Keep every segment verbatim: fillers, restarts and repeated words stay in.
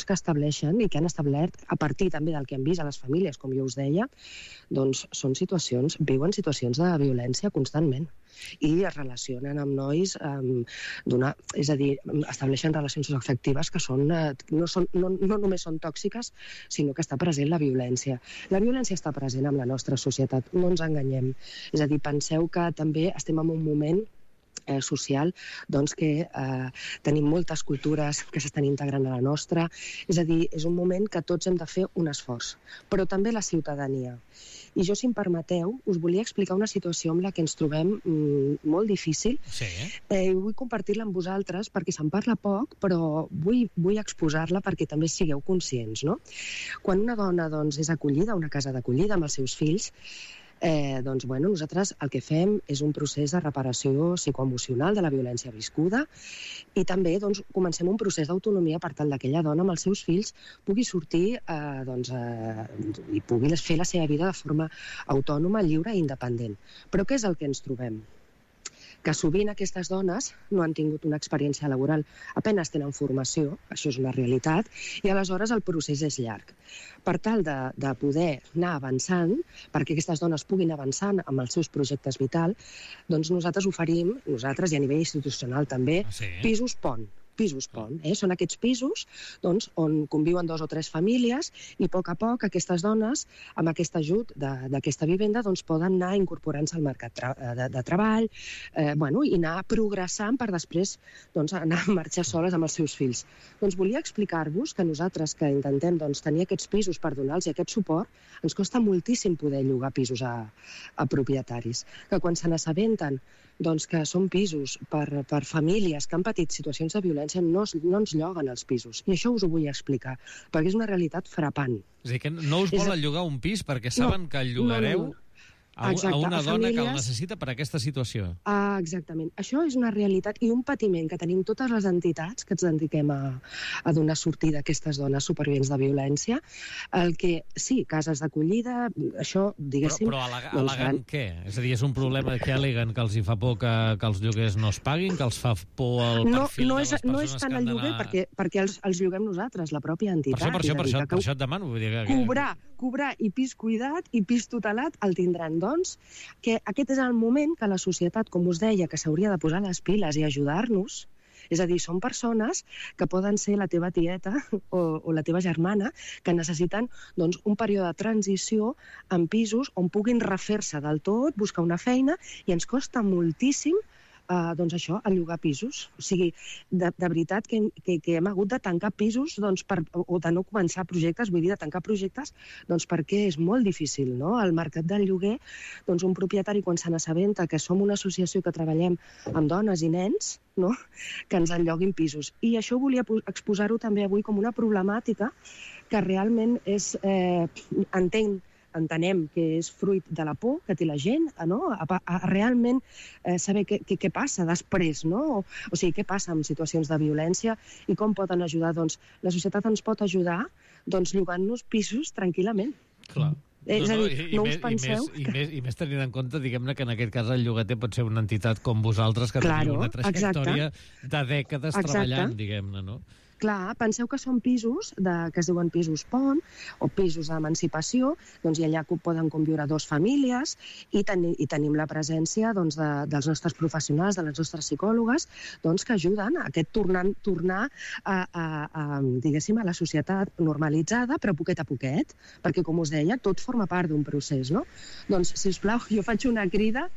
que estableixen i que han establert a partir també del que han vist a les famílies, com jo us deia, doncs són situacions, viuen situacions de violència constantment i es relacionen amb nois, um, és a dir, estableixen relacions afectives que són, no, són, no, no només són tòxiques, sinó que està present la violència. La violència està present en la nostra societat, no ens enganyem. És a dir, penseu que també estem en un moment Eh, social, doncs que eh, tenim moltes cultures que s'estan integrant a la nostra, és a dir, és un moment que tots hem de fer un esforç, però també la ciutadania. I jo, si em permeteu, us volia explicar una situació amb la que ens trobem mm, molt difícil. Sí. Eh, vull compartir-la amb vosaltres perquè se'n parla poc, però vull, vull exposar-la perquè també sigueu conscients, no? Quan una dona doncs, és acollida a una casa d'acollida amb els seus fills, Eh, doncs, bueno, nosaltres el que fem és un procés de reparació psicoemocional de la violència viscuda i també doncs, comencem un procés d'autonomia per tal que aquella dona amb els seus fills pugui sortir eh, doncs, eh, i pugui fer la seva vida de forma autònoma, lliure i independent. Però què és el que ens trobem? Que sovint aquestes dones no han tingut una experiència laboral, apenas tenen formació, això és una realitat, i aleshores el procés és llarg. Per tal de, de poder anar avançant, perquè aquestes dones puguin avançar amb els seus projectes vital, doncs nosaltres oferim, nosaltres i a nivell institucional també, ah, sí? pisos pont. Pisos pont, eh? Són aquests pisos doncs, on conviuen dos o tres famílies i a poc a poc aquestes dones, amb aquest ajut d'aquesta vivenda, doncs, poden anar incorporant-se al mercat tra de, de treball eh, bueno, i anar progressant per després doncs, anar a marxar soles amb els seus fills. Doncs volia explicar-vos que nosaltres que intentem doncs, tenir aquests pisos per donar-los aquest suport, ens costa moltíssim poder llogar pisos a, a propietaris, que quan se n'assabenten doncs, que són pisos per, per famílies que han patit situacions de violència no, no ens lloguen els pisos. I això us ho vull explicar, perquè és una realitat frapant. És a dir, que no us volen llogar un pis perquè saben no, que el llogareu... No, no, no. A, Exacte, a una a dona famílies... que el necessita per aquesta situació. Ah, exactament. Això és una realitat i un patiment que tenim totes les entitats que ens dediquem a, a donar sortida a aquestes dones supervivents de violència. El que, sí, cases d'acollida, això, diguéssim... Però, però alega, doncs, alegant gran... què? És a dir, és un problema que aleguen que els hi fa por que, que els lloguers no es paguin, que els fa por el no, perfil no de és, les persones no és tant que han el lloguer, d'anar... perquè, perquè els, els lloguem nosaltres, la pròpia entitat. Per això, per això, per això, que... per això et demano. Vull dir que... Cobrar, cobrar i pis cuidat i pis tutelat el tindran, doncs, que aquest és el moment que la societat, com us deia, que s'hauria de posar les piles i ajudar-nos. És a dir, són persones que poden ser la teva tieta o, o la teva germana que necessiten doncs, un període de transició en pisos on puguin refer-se del tot, buscar una feina, i ens costa moltíssim Uh, doncs això, a llogar pisos. O sigui, de, de veritat que, que, que hem hagut de tancar pisos doncs, per, o de no començar projectes, vull dir, de tancar projectes, doncs perquè és molt difícil, no? El mercat del lloguer, doncs un propietari quan se n'assabenta que som una associació que treballem amb dones i nens, no? Que ens enlloguin pisos. I això volia exposar-ho també avui com una problemàtica que realment és, eh, entenc, entenem que és fruit de la por que té la gent, no? a, a realment eh, saber què, què, què passa després, no? O, o sigui, què passa en situacions de violència i com poden ajudar. Doncs la societat ens pot ajudar doncs, llogant-nos pisos tranquil·lament. Clar. És no, no, a dir, i, no i us penseu... I més, i, més, I més tenint en compte, diguem-ne, que en aquest cas el llogater pot ser una entitat com vosaltres que claro, teniu una trajectòria exacte. de dècades Exacte. treballant, diguem-ne, no? Clar, penseu que són pisos de, que es diuen pisos pont o pisos d'emancipació, doncs i allà poden conviure dos famílies i, teni, i tenim la presència doncs, de, dels nostres professionals, de les nostres psicòlogues, doncs, que ajuden a aquest tornar, tornar a, a, a, diguéssim, a la societat normalitzada, però poquet a poquet, perquè, com us deia, tot forma part d'un procés, no? Doncs, si us plau, jo faig una crida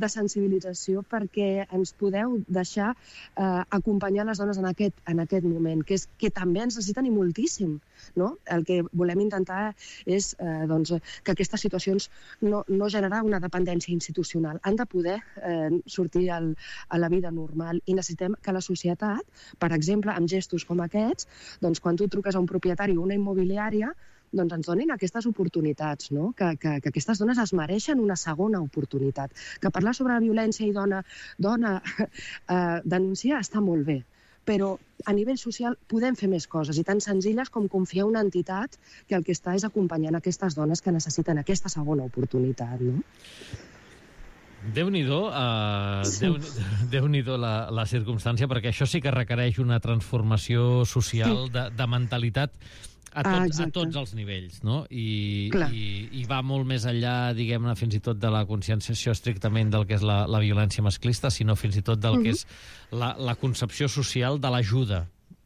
de sensibilització perquè ens podeu deixar eh, acompanyar les dones en aquest, en aquest moment, que, és, que també ens necessiten i moltíssim, no? El que volem intentar és eh, doncs, que aquestes situacions no, no generar una dependència institucional. Han de poder eh, sortir al, a la vida normal i necessitem que la societat, per exemple, amb gestos com aquests, doncs quan tu truques a un propietari o una immobiliària, doncs ens donin aquestes oportunitats, no? que, que, que aquestes dones es mereixen una segona oportunitat. Que parlar sobre la violència i dona, dona eh, denunciar està molt bé, però a nivell social podem fer més coses, i tan senzilles com confiar en una entitat que el que està és acompanyant aquestes dones que necessiten aquesta segona oportunitat, no? Déu-n'hi-do, uh, Déu, Déu-n'hi-do la, la circumstància, perquè això sí que requereix una transformació social de, de mentalitat a, tot, ah, a tots els nivells, no? I, i, i va molt més enllà, diguem-ne, fins i tot de la conscienciació estrictament del que és la, la violència masclista, sinó fins i tot del uh-huh. que és la, la concepció social de l'ajuda,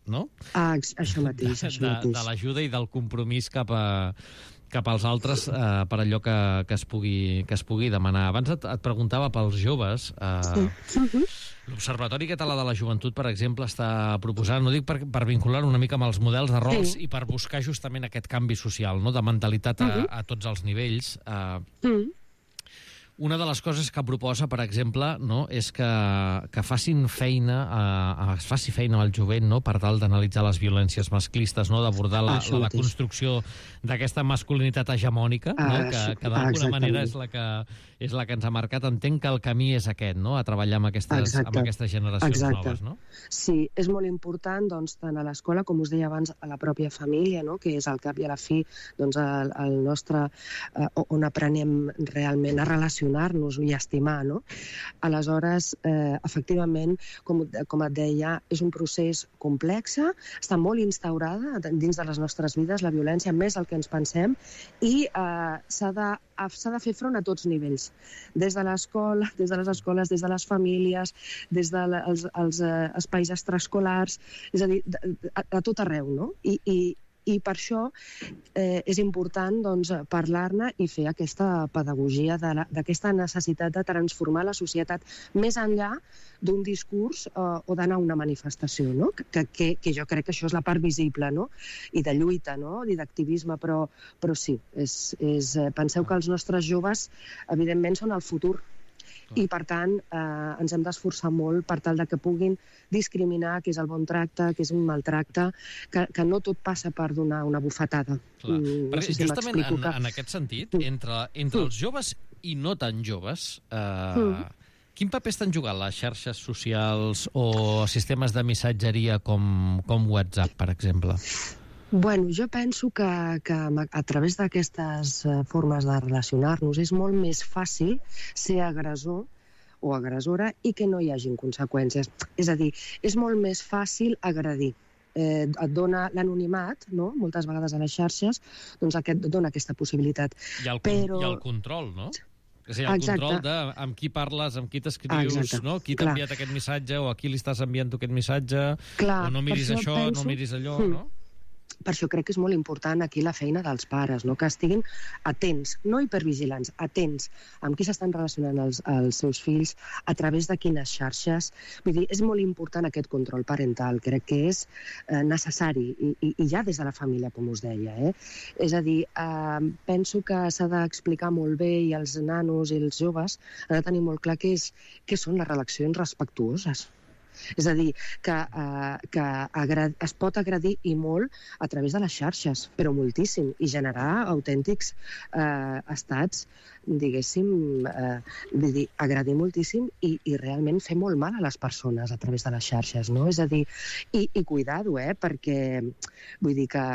no? Ah, això mateix, això de, mateix. De, de l'ajuda i del compromís cap a cap als altres eh, per allò que, que, es pugui, que es pugui demanar. Abans et, et preguntava pels joves. Eh, sí. uh-huh. L'Observatori Català de la Joventut, per exemple, està proposant, no dic per, per vincular una mica amb els models de rols sí. i per buscar justament aquest canvi social, no?, de mentalitat a, uh-huh. a tots els nivells. Eh, uh-huh. Una de les coses que proposa, per exemple, no, és que, que facin feina, eh, es faci feina amb el jovent, no?, per tal d'analitzar les violències masclistes, no?, d'abordar la, la, la construcció d'aquesta masculinitat hegemònica, ah, no?, que, que d'alguna manera és la que, és la que ens ha marcat. Entenc que el camí és aquest, no?, a treballar amb aquestes, amb aquestes generacions Exacte. noves, no? Sí, és molt important, doncs, tant a l'escola, com us deia abans, a la pròpia família, no?, que és al cap i a la fi, doncs, el, el nostre, eh, on aprenem realment a relacionar-nos i a estimar, no? Aleshores, eh, efectivament, com, com et deia, és un procés complex, està molt instaurada dins de les nostres vides, la violència, més del que ens pensem, i eh, s'ha de, s'ha de fer front a tots nivells, des de l'escola, des de les escoles, des de les famílies, des dels els, eh, espais extraescolars, és a dir, a, a tot arreu, no? I, i I per això eh, és important, doncs, parlar-ne i fer aquesta pedagogia d'aquesta necessitat de transformar la societat més enllà d'un discurs eh, o d'anar a una manifestació, no? Que, que, que jo crec que això és la part visible, no?, i de lluita, no?, i d'activisme, però, però sí, és, és, penseu que els nostres joves, evidentment, són el futur. I, per tant, eh, ens hem d'esforçar molt per tal de que puguin discriminar què és el bon tracte, què és un maltracte, que, que no tot passa per donar una bufetada. Clar. Mm, no sé si justament en, que... en aquest sentit, entre, entre els joves i no tan joves, eh, mm. quin paper estan jugant les xarxes socials o sistemes de missatgeria com, com WhatsApp, per exemple? Bueno, jo penso que, que a través d'aquestes formes de relacionar-nos és molt més fàcil ser agressor o agressora i que no hi hagin conseqüències. És a dir, és molt més fàcil agredir. Eh, et dona l'anonimat, no?, moltes vegades a les xarxes, doncs aquest, dona aquesta possibilitat. I el, Però... i el control, no? És a dir, el Exacte. control de amb qui parles, amb qui t'escrius, Exacte. no? Qui t'ha enviat aquest missatge o a qui li estàs enviant tu aquest missatge, Clar, o no miris això, penso... no miris allò, mm. no? Per això crec que és molt important aquí la feina dels pares, no?, que estiguin atents, no hipervigilants, atents amb qui s'estan relacionant els, els seus fills, a través de quines xarxes. Vull dir, és molt important aquest control parental, crec que és eh, necessari, i, i, i ja des de la família, com us deia. Eh? És a dir, eh, penso que s'ha d'explicar molt bé, i els nanos i els joves han de tenir molt clar què, és, què són les relacions respectuoses. És a dir, que, eh, que es pot agredir i molt a través de les xarxes, però moltíssim, i generar autèntics eh, estats, diguéssim, eh, vull dir, agredir moltíssim i, i realment fer molt mal a les persones a través de les xarxes, no? És a dir, i, i cuidar-ho, eh? Perquè vull dir que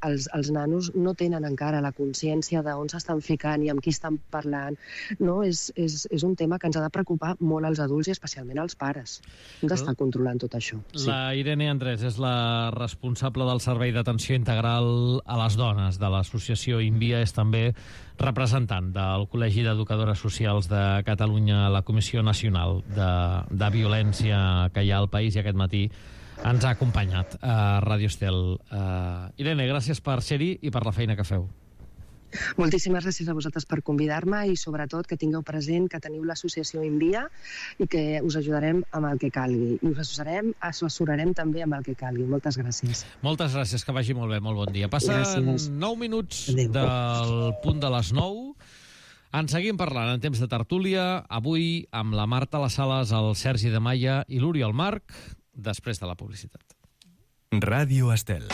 els, els nanos no tenen encara la consciència d'on s'estan ficant i amb qui estan parlant, no? És, és, és un tema que ens ha de preocupar molt als adults i especialment als pares. Hem d'estar controlant tot això. Sí. La Irene Andrés és la responsable del Servei d'Atenció Integral a les Dones de l'associació INVIA, és també representant del Col·legi d'Educadores Socials de Catalunya a la Comissió Nacional de, de Violència que hi ha al país, i aquest matí ens ha acompanyat a Ràdio Estel. Uh, Irene, gràcies per ser-hi i per la feina que feu. Moltíssimes gràcies a vosaltres per convidar-me, i sobretot que tingueu present que teniu l'associació INVIA i que us ajudarem amb el que calgui. I us assessorarem, assessorarem també amb el que calgui. Moltes gràcies. Moltes gràcies, que vagi molt bé, molt bon dia. Passen gràcies. nou minuts Adeu. Del punt de les nou. En seguim parlant en temps de tertúlia, avui amb la Marta Les Sales, el Sergi de Maia i l'Oriol Marc, després de la publicitat. Ràdio Estel.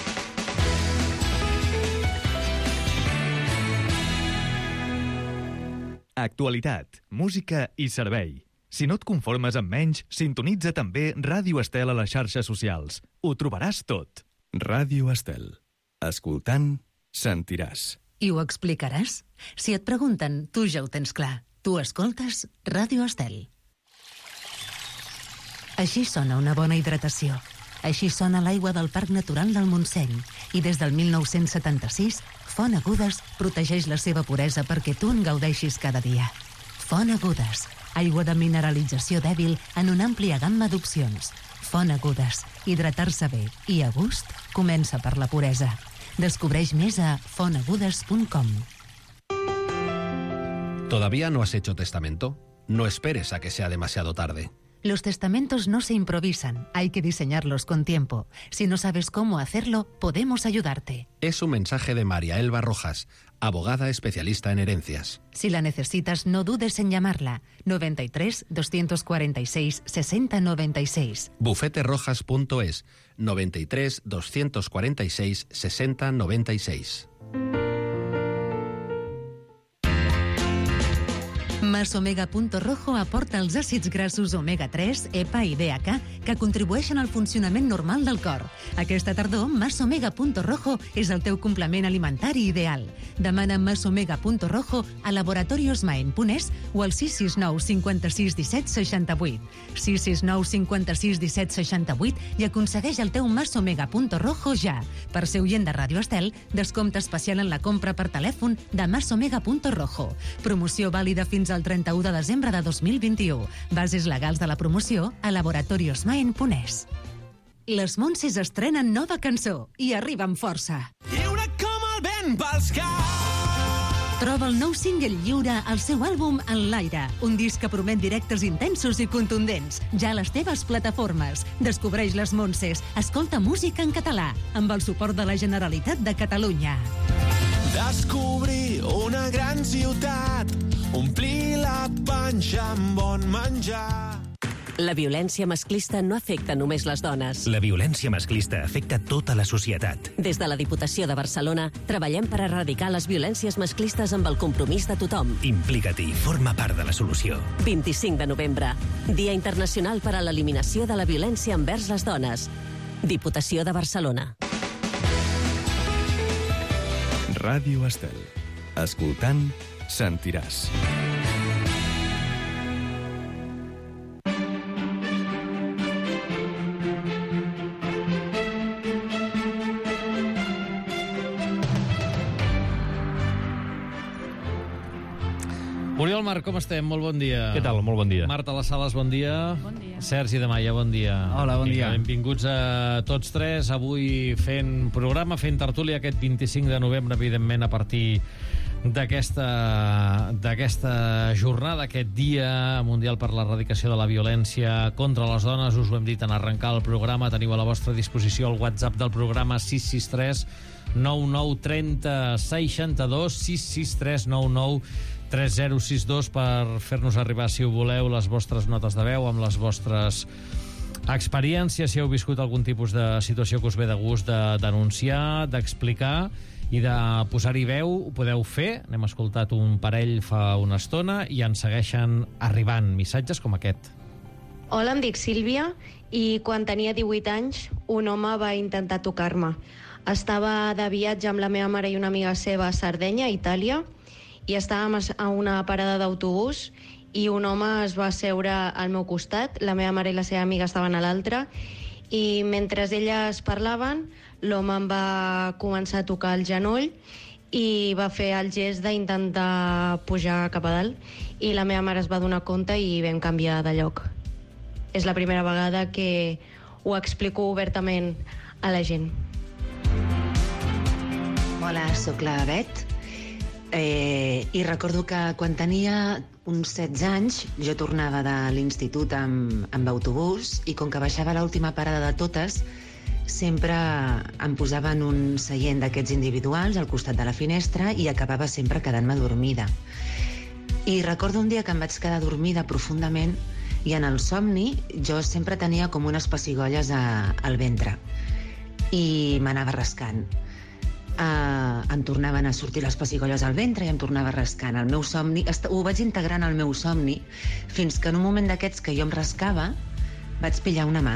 Actualitat, música i servei. Si no et conformes amb menys, sintonitza també Ràdio Estel a les xarxes socials. Ho trobaràs tot. Ràdio Estel. Escoltant, sentiràs. I ho explicaràs? Si et pregunten, tu ja ho tens clar. Tu escoltes Ràdio Estel. Així sona una bona hidratació. Així sona l'aigua del Parc Natural del Montseny. I des del mil nou-cents setanta-sis, Font Agudes protegeix la seva puresa perquè tu en gaudeixis cada dia. Font Agudes, aigua de mineralització dèbil en una àmplia gamma d'opcions. Font Agudes, hidratar-se bé i a gust comença per la puresa. Descobreix més a font agudes punt com. ¿Todavía no has hecho testamento? No esperes a que sea demasiado tarde. Los testamentos no se improvisan, hay que diseñarlos con tiempo. Si no sabes cómo hacerlo, podemos ayudarte. Es un mensaje de María Elba Rojas, abogada especialista en herencias. Si la necesitas, no dudes en llamarla. noventa y tres, doscientos cuarenta y seis, sesenta noventa y seis. bufete rojas punto es, noventa y tres, doscientos cuarenta y seis, sesenta noventa y seis. Masomega.rojo aporta els àcids grassos omega tres, E P A i D H A que contribueixen al funcionament normal del cor. Aquesta tardor, Masomega.rojo és el teu complement alimentari ideal. Demana Masomega.rojo a laboratoriosmaen.es o al sis sis nou cinquanta-sis disset seixanta-vuit. sis sis nou cinquanta-sis disset seixanta-vuit i aconsegueix el teu Masomega.rojo ja. Per ser oient de Ràdio Estel, descompte especial en la compra per telèfon de Masomega.rojo. Promoció vàlida fins al trenta-u de desembre de dos mil vint-i-u. Bases legals de la promoció a laboratoriosmaen.es. Les Montses estrenen nova cançó i arriba amb força. Lliure com el vent pels caps. Troba el nou single lliure al seu àlbum En l'aire, un disc que promet directes intensos i contundents, ja a les teves plataformes. Descobreix Les Montses, escolta música en català, amb el suport de la Generalitat de Catalunya. Descobrir una gran ciutat, omplir la panxa amb bon menjar. La violència masclista no afecta només les dones. La violència masclista afecta tota la societat. Des de la Diputació de Barcelona treballem per erradicar les violències masclistes amb el compromís de tothom. Implica-t'hi, forma part de la solució. vint-i-cinc de novembre, Dia Internacional per a l'Eliminació de la Violència envers les Dones. Diputació de Barcelona. Ràdio Estel. Escoltant, sentiràs. Oriol Marc, com estem? Molt bon dia. Què tal? Molt bon dia. Marta Les Sales, bon dia. Bon dia. Sergi de Maia, bon dia. Hola, bon dia. Benvinguts a tots tres. Avui fent programa, fent tertúlia aquest vint-i-cinc de novembre, evidentment, a partir d'aquesta d'aquesta jornada, aquest Dia Mundial per l'Erradicació de la Violència contra les Dones. Us ho hem dit en arrencar el programa. Teniu a la vostra disposició el WhatsApp del programa sis sis tres nou nou trenta seixanta-dos, sis sis tres nou nou tres zero sis dos per fer-nos arribar, si ho voleu, les vostres notes de veu amb les vostres experiències, si heu viscut algun tipus de situació que us ve de gust de denunciar, d'explicar i de posar-hi veu. Ho podeu fer. N'hem escoltat un parell fa una estona i ens segueixen arribant missatges com aquest. Hola, em dic Sílvia i quan tenia divuit anys un home va intentar tocar-me. Estava de viatge amb la meva mare i una amiga seva a Sardenya, Itàlia, i estàvem a una parada d'autobús i un home es va asseure al meu costat, la meva mare i la seva amiga estaven a l'altra, i mentre elles parlaven, l'home em va començar a tocar el genoll i va fer el gest d'intentar pujar cap a dalt, i la meva mare es va donar compte i vam canviar de lloc. És la primera vegada que ho explico obertament a la gent. Hola, sóc la Bet. Eh, I recordo que quan tenia uns setze anys jo tornava de l'institut amb, amb autobús i com que baixava l'última parada de totes sempre em posava en un seient d'aquests individuals al costat de la finestra i acabava sempre quedant-me dormida. I recordo un dia que em vaig quedar dormida profundament i en el somni jo sempre tenia com unes pessigolles a, al ventre i m'anava rascant. Uh, em tornaven a sortir les pessigolles al ventre i em tornava rascant. El meu somni, ho vaig integrant al meu somni fins que en un moment d'aquests que jo em rascava vaig pillar una mà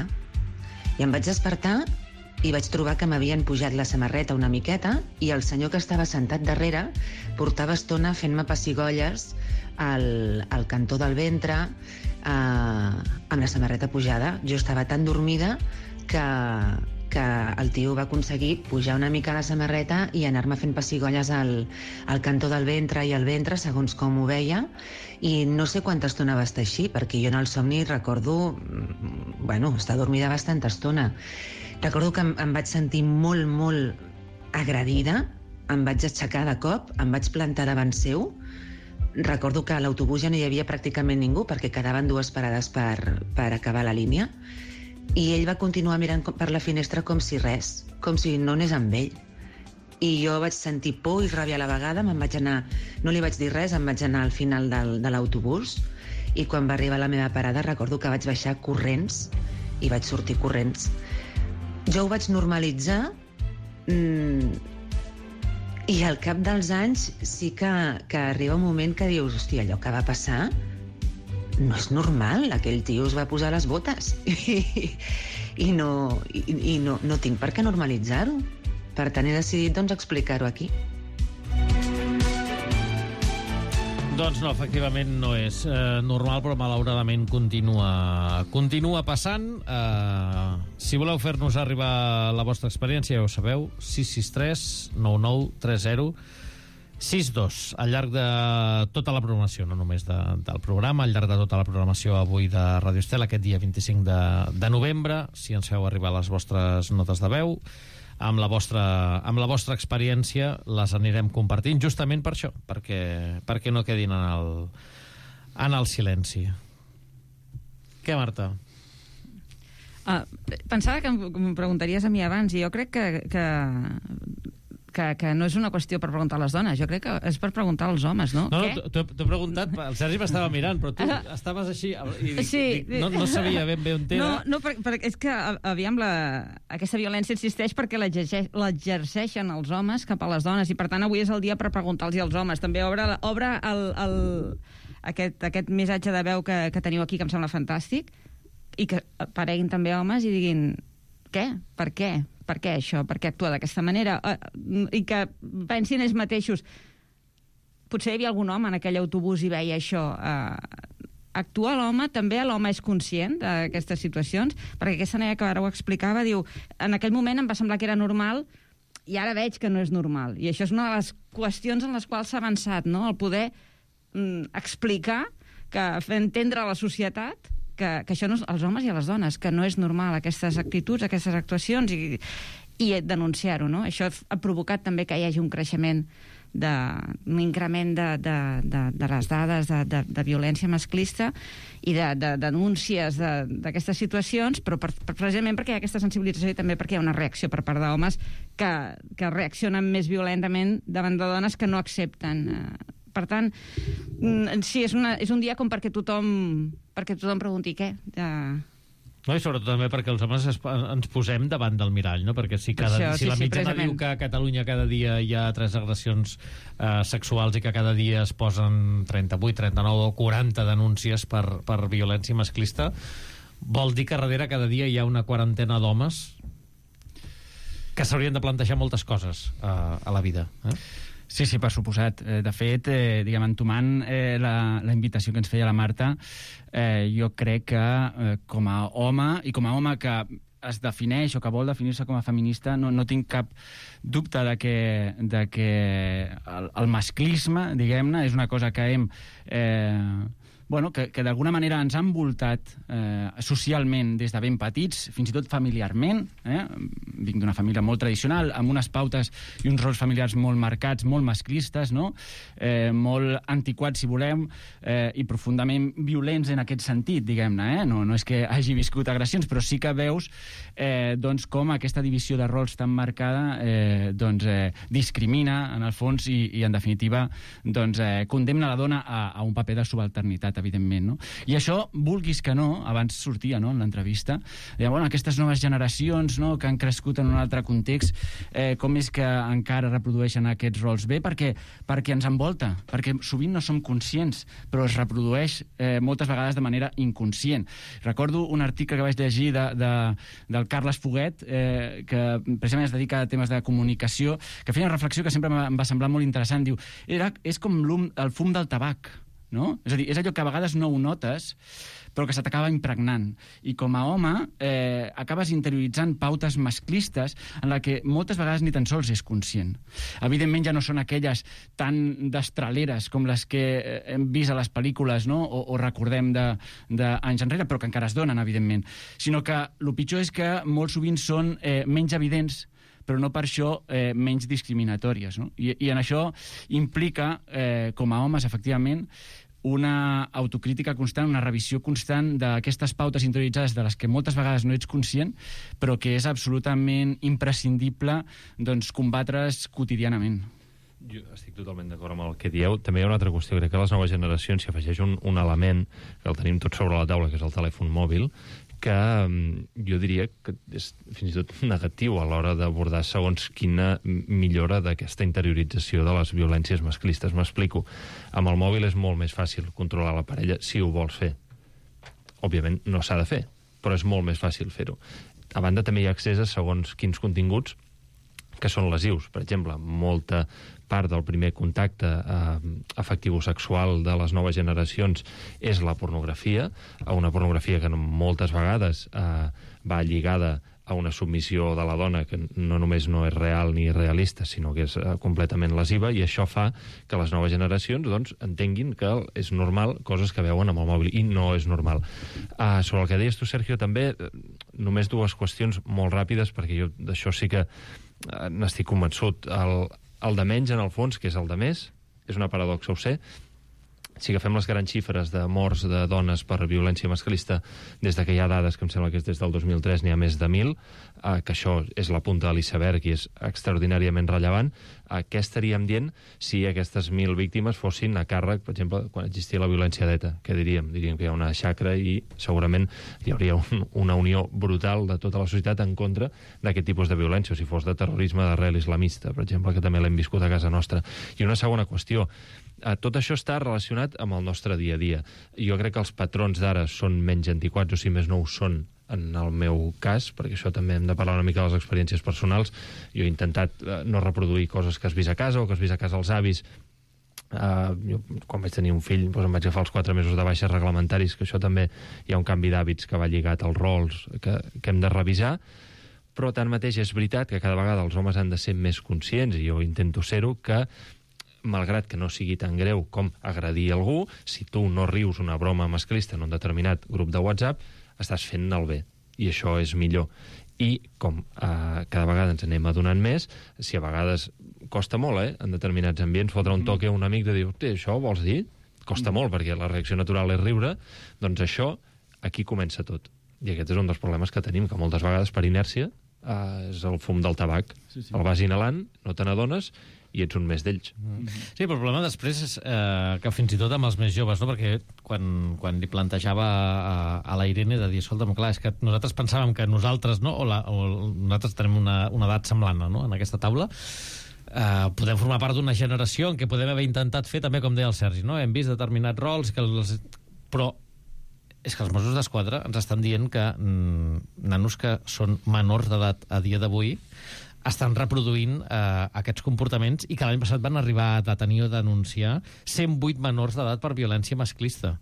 i em vaig despertar i vaig trobar que m'havien pujat la samarreta una miqueta i el senyor que estava sentat darrere portava estona fent-me pessigolles al, al cantó del ventre eh, amb la samarreta pujada. Jo estava tan dormida que, que el tio va aconseguir pujar una mica la samarreta i anar-me fent pessigolles al, al cantó del ventre i al ventre, segons com ho veia, i no sé quanta estona va estar així, perquè jo en el somni recordo, bueno, estar dormida bastanta estona. Recordo que em, em vaig sentir molt, molt agredida, em vaig aixecar de cop, em vaig plantar davant seu. Recordo que a l'autobús ja no hi havia pràcticament ningú perquè quedaven dues parades per, per acabar la línia, i ell va continuar mirant per la finestra com si res, com si no anés amb ell. I jo vaig sentir por i ràbia a la vegada, me'n vaig anar, no li vaig dir res, em vaig anar al final del, de l'autobús, i quan va arribar a la meva parada recordo que vaig baixar corrents i vaig sortir corrents. Jo ho vaig normalitzar, mmm, i al cap dels anys sí que, que arriba un moment que dius, hòstia, allò que va passar no és normal, aquell tio es va posar les botes i, i, no, i, i no, no tinc per què normalitzar-ho. Per tant, he decidit doncs, explicar-ho aquí. Doncs no, efectivament no és eh, normal, però malauradament continua, continua passant. Eh, si voleu fer-nos arribar la vostra experiència, ja ho sabeu, sis sis tres nou nou tres zero sis dos, al llarg de tota la programació, no només de, del programa, al llarg de tota la programació avui de Ràdio Estel, aquest dia vint-i-cinc de, de novembre, si ens feu arribar les vostres notes de veu, amb la vostra, amb la vostra experiència les anirem compartint justament per això, perquè, perquè no quedin en el, en el silenci. Què, Marta? Uh, pensava que em preguntaries a mi abans, i jo crec que, que, que, que no és una qüestió per preguntar a les dones, jo crec que és per preguntar als homes, no? No, no, t'ho he preguntat, el Sergi m'estava mirant, però tu uh, estaves així i dic, sí, dic, no, no sabia ben bé on era. No, no per, per, és que, aviam, la, aquesta violència existeix perquè l'exerceixen els homes cap a les dones, i per tant avui és el dia per preguntar-los als homes. També obre, obre el, el, aquest, aquest missatge de veu que, que teniu aquí, que em sembla fantàstic, i que apareguin també homes i diguin què? Per què? Per què això? Per què actua d'aquesta manera? Uh, I que pensin ells mateixos. Potser hi havia algun home en aquell autobús i veia això. Uh, actua l'home, també l'home és conscient d'aquestes situacions, perquè aquesta noia que ara ho explicava, diu, en aquell moment em va semblar que era normal i ara veig que no és normal. I això és una de les qüestions en les quals s'ha avançat, no? El poder mm, explicar, que fer entendre a la societat que, que això no és, als homes i a les dones, que no és normal aquestes actituds, aquestes actuacions, i, i denunciar-ho, no? Això ha provocat també que hi hagi un creixement, de, un increment de, de, de, de les dades de, de, de violència masclista i de, de, de denúncies d'aquestes de, situacions, però per, per, precisament perquè hi ha aquesta sensibilització i també perquè hi ha una reacció per part d'homes que, que reaccionen més violentament davant de dones que no accepten. Per tant, sí, és, una, és un dia com perquè tothom, perquè tothom pregunti què. De... No, i sobretot també perquè els homes es, ens posem davant del mirall, no? Perquè si, cada, Això, si sí, la mitjana sí, diu que a Catalunya cada dia hi ha tres agressions eh, sexuals i que cada dia es posen trenta-vuit, trenta-nou o quaranta denúncies per, per violència masclista, vol dir que darrere cada dia hi ha una quarantena d'homes que s'haurien de plantejar moltes coses eh, a la vida, eh? Sí, sí, per suposat. De fet, eh, diguem, entomant eh, la, la invitació que ens feia la Marta, eh, jo crec que eh, com a home, i com a home que es defineix o que vol definir-se com a feminista, no, no tinc cap dubte de que, de que el, el masclisme, diguem-ne, és una cosa que hem... Eh, bueno, que, que d'alguna manera ens han envoltat eh, socialment des de ben petits, fins i tot familiarment. Eh? Vinc d'una família molt tradicional, amb unes pautes i uns rols familiars molt marcats, molt masclistes, no? eh, molt antiquats, si volem, eh, i profundament violents en aquest sentit, diguem-ne. Eh? No, no és que hagi viscut agressions, però sí que veus eh, doncs, com aquesta divisió de rols tan marcada eh, doncs, eh, discrimina, en el fons, i, i en definitiva, doncs, eh, condemna la dona a, a un paper de subalternitat. evidentment, no? I això, vulguis que no, abans sortia, no?, en l'entrevista, deia, bueno, aquestes noves generacions, no?, que han crescut en un altre context, eh, com és que encara reprodueixen aquests rols bé? Perquè, perquè ens envolta, perquè sovint no som conscients, però es reprodueix eh, moltes vegades de manera inconscient. Recordo un article que vaig llegir de, de, del Carles Foguet, eh, que precisament es dedica a temes de comunicació, que feia una reflexió que sempre em va semblar molt interessant. Diu, era, és com el fum del tabac, no? És a dir, és allò que a vegades no ho notes, però que se t'acaba impregnant. I com a home eh, acabes interioritzant pautes masclistes en la que moltes vegades ni tan sols és conscient. Evidentment ja no són aquelles tan destraleres com les que hem vist a les pel·lícules, no?, o, o recordem d'anys enrere, però que encara es donen, evidentment. Sinó que el pitjor és que molt sovint són eh, menys evidents, però no per això eh, menys discriminatòries, no? I, i en això implica, eh, com a homes, efectivament, una autocrítica constant, una revisió constant d'aquestes pautes interioritzades de les que moltes vegades no ets conscient, però que és absolutament imprescindible, doncs, combatre's quotidianament. Jo estic totalment d'acord amb el que dieu. També hi ha una altra qüestió. Crec que a les noves generacions s'hi afegeix un, un element que el tenim tot sobre la taula, que és el telèfon mòbil, que jo diria que és fins i tot negatiu a l'hora d'abordar segons quina millora d'aquesta interiorització de les violències masclistes. M'explico. Amb el mòbil és molt més fàcil controlar la parella si ho vols fer. Òbviament no s'ha de fer, però és molt més fàcil fer-ho. A banda també hi ha accés a segons quins continguts que són lesius. Per exemple, molta part del primer contacte eh, afectivo-sexual de les noves generacions és la pornografia, una pornografia que moltes vegades eh, va lligada a una submissió de la dona que no només no és real ni realista, sinó que és eh, completament lesiva, i això fa que les noves generacions doncs, entenguin que és normal coses que veuen amb el mòbil, i no és normal. Uh, sobre el que deies tu, Sergio, també, només dues qüestions molt ràpides, perquè jo d'això sí que uh, n'estic convençut. El, el de menys, en el fons, que és el de més, és una paradoxa, ho sé. Si agafem les grans xifres de morts de dones per violència masclista, des de que hi ha dades, que em sembla que és des del dos mil tres, n'hi ha més de mil, eh, que això és la punta de l'iceberg i és extraordinàriament rellevant. Eh, què estaríem dient si aquestes mil víctimes fossin a càrrec, per exemple, quan existia la violència d'ETA? Què diríem? Diríem que hi ha una xacra i segurament hi hauria un, una unió brutal de tota la societat en contra d'aquest tipus de violència, o si fos de terrorisme d'arrel islamista, per exemple, que també l'hem viscut a casa nostra. I una segona qüestió. Uh, tot això està relacionat amb el nostre dia a dia. Jo crec que els patrons d'ara són menys antiquats, o si més no ho són en el meu cas, perquè això també hem de parlar una mica de les experiències personals. Jo he intentat uh, no reproduir coses que has vist a casa o que has vist a casa els avis. Uh, jo, quan vaig tenir un fill, doncs em vaig agafar els quatre mesos de baixes reglamentaris, que això també hi ha un canvi d'hàbits que va lligat als rols que, que hem de revisar. Però tanmateix és veritat que cada vegada els homes han de ser més conscients, i jo intento ser-ho, que malgrat que no sigui tan greu com agredir algú, si tu no rius una broma masclista en un determinat grup de WhatsApp, estàs fent el bé, i això és millor. I com eh, cada vegada ens anem adonant més, si a vegades costa molt, eh, en determinats ambients, fotre un toque a un amic de dir, hosti, això ho vols dir? Costa molt, perquè la reacció natural és riure. Doncs això, aquí comença tot. I aquest és un dels problemes que tenim, que moltes vegades per inèrcia eh, és el fum del tabac. Sí, sí. El vas inhalant, no te n'adones, i ets un més d'ells. Sí, però el problema després és eh, que fins i tot amb els més joves, no? Perquè quan, quan li plantejava a, a la Irene de dir, escolta'm, clar, és que nosaltres pensàvem que nosaltres, no? o, la, o nosaltres tenim una, una edat semblant, no? En aquesta taula, eh, podem formar part d'una generació en què podem haver intentat fer també, com deia el Sergi, no? Hem vist determinats rols, que els... però és que els Mossos d'Esquadra ens estan dient que mm, nanos que són menors d'edat a dia d'avui estan reproduint eh, aquests comportaments, i que l'any passat van arribar a detenir o denunciar cent vuit menors d'edat per violència masclista.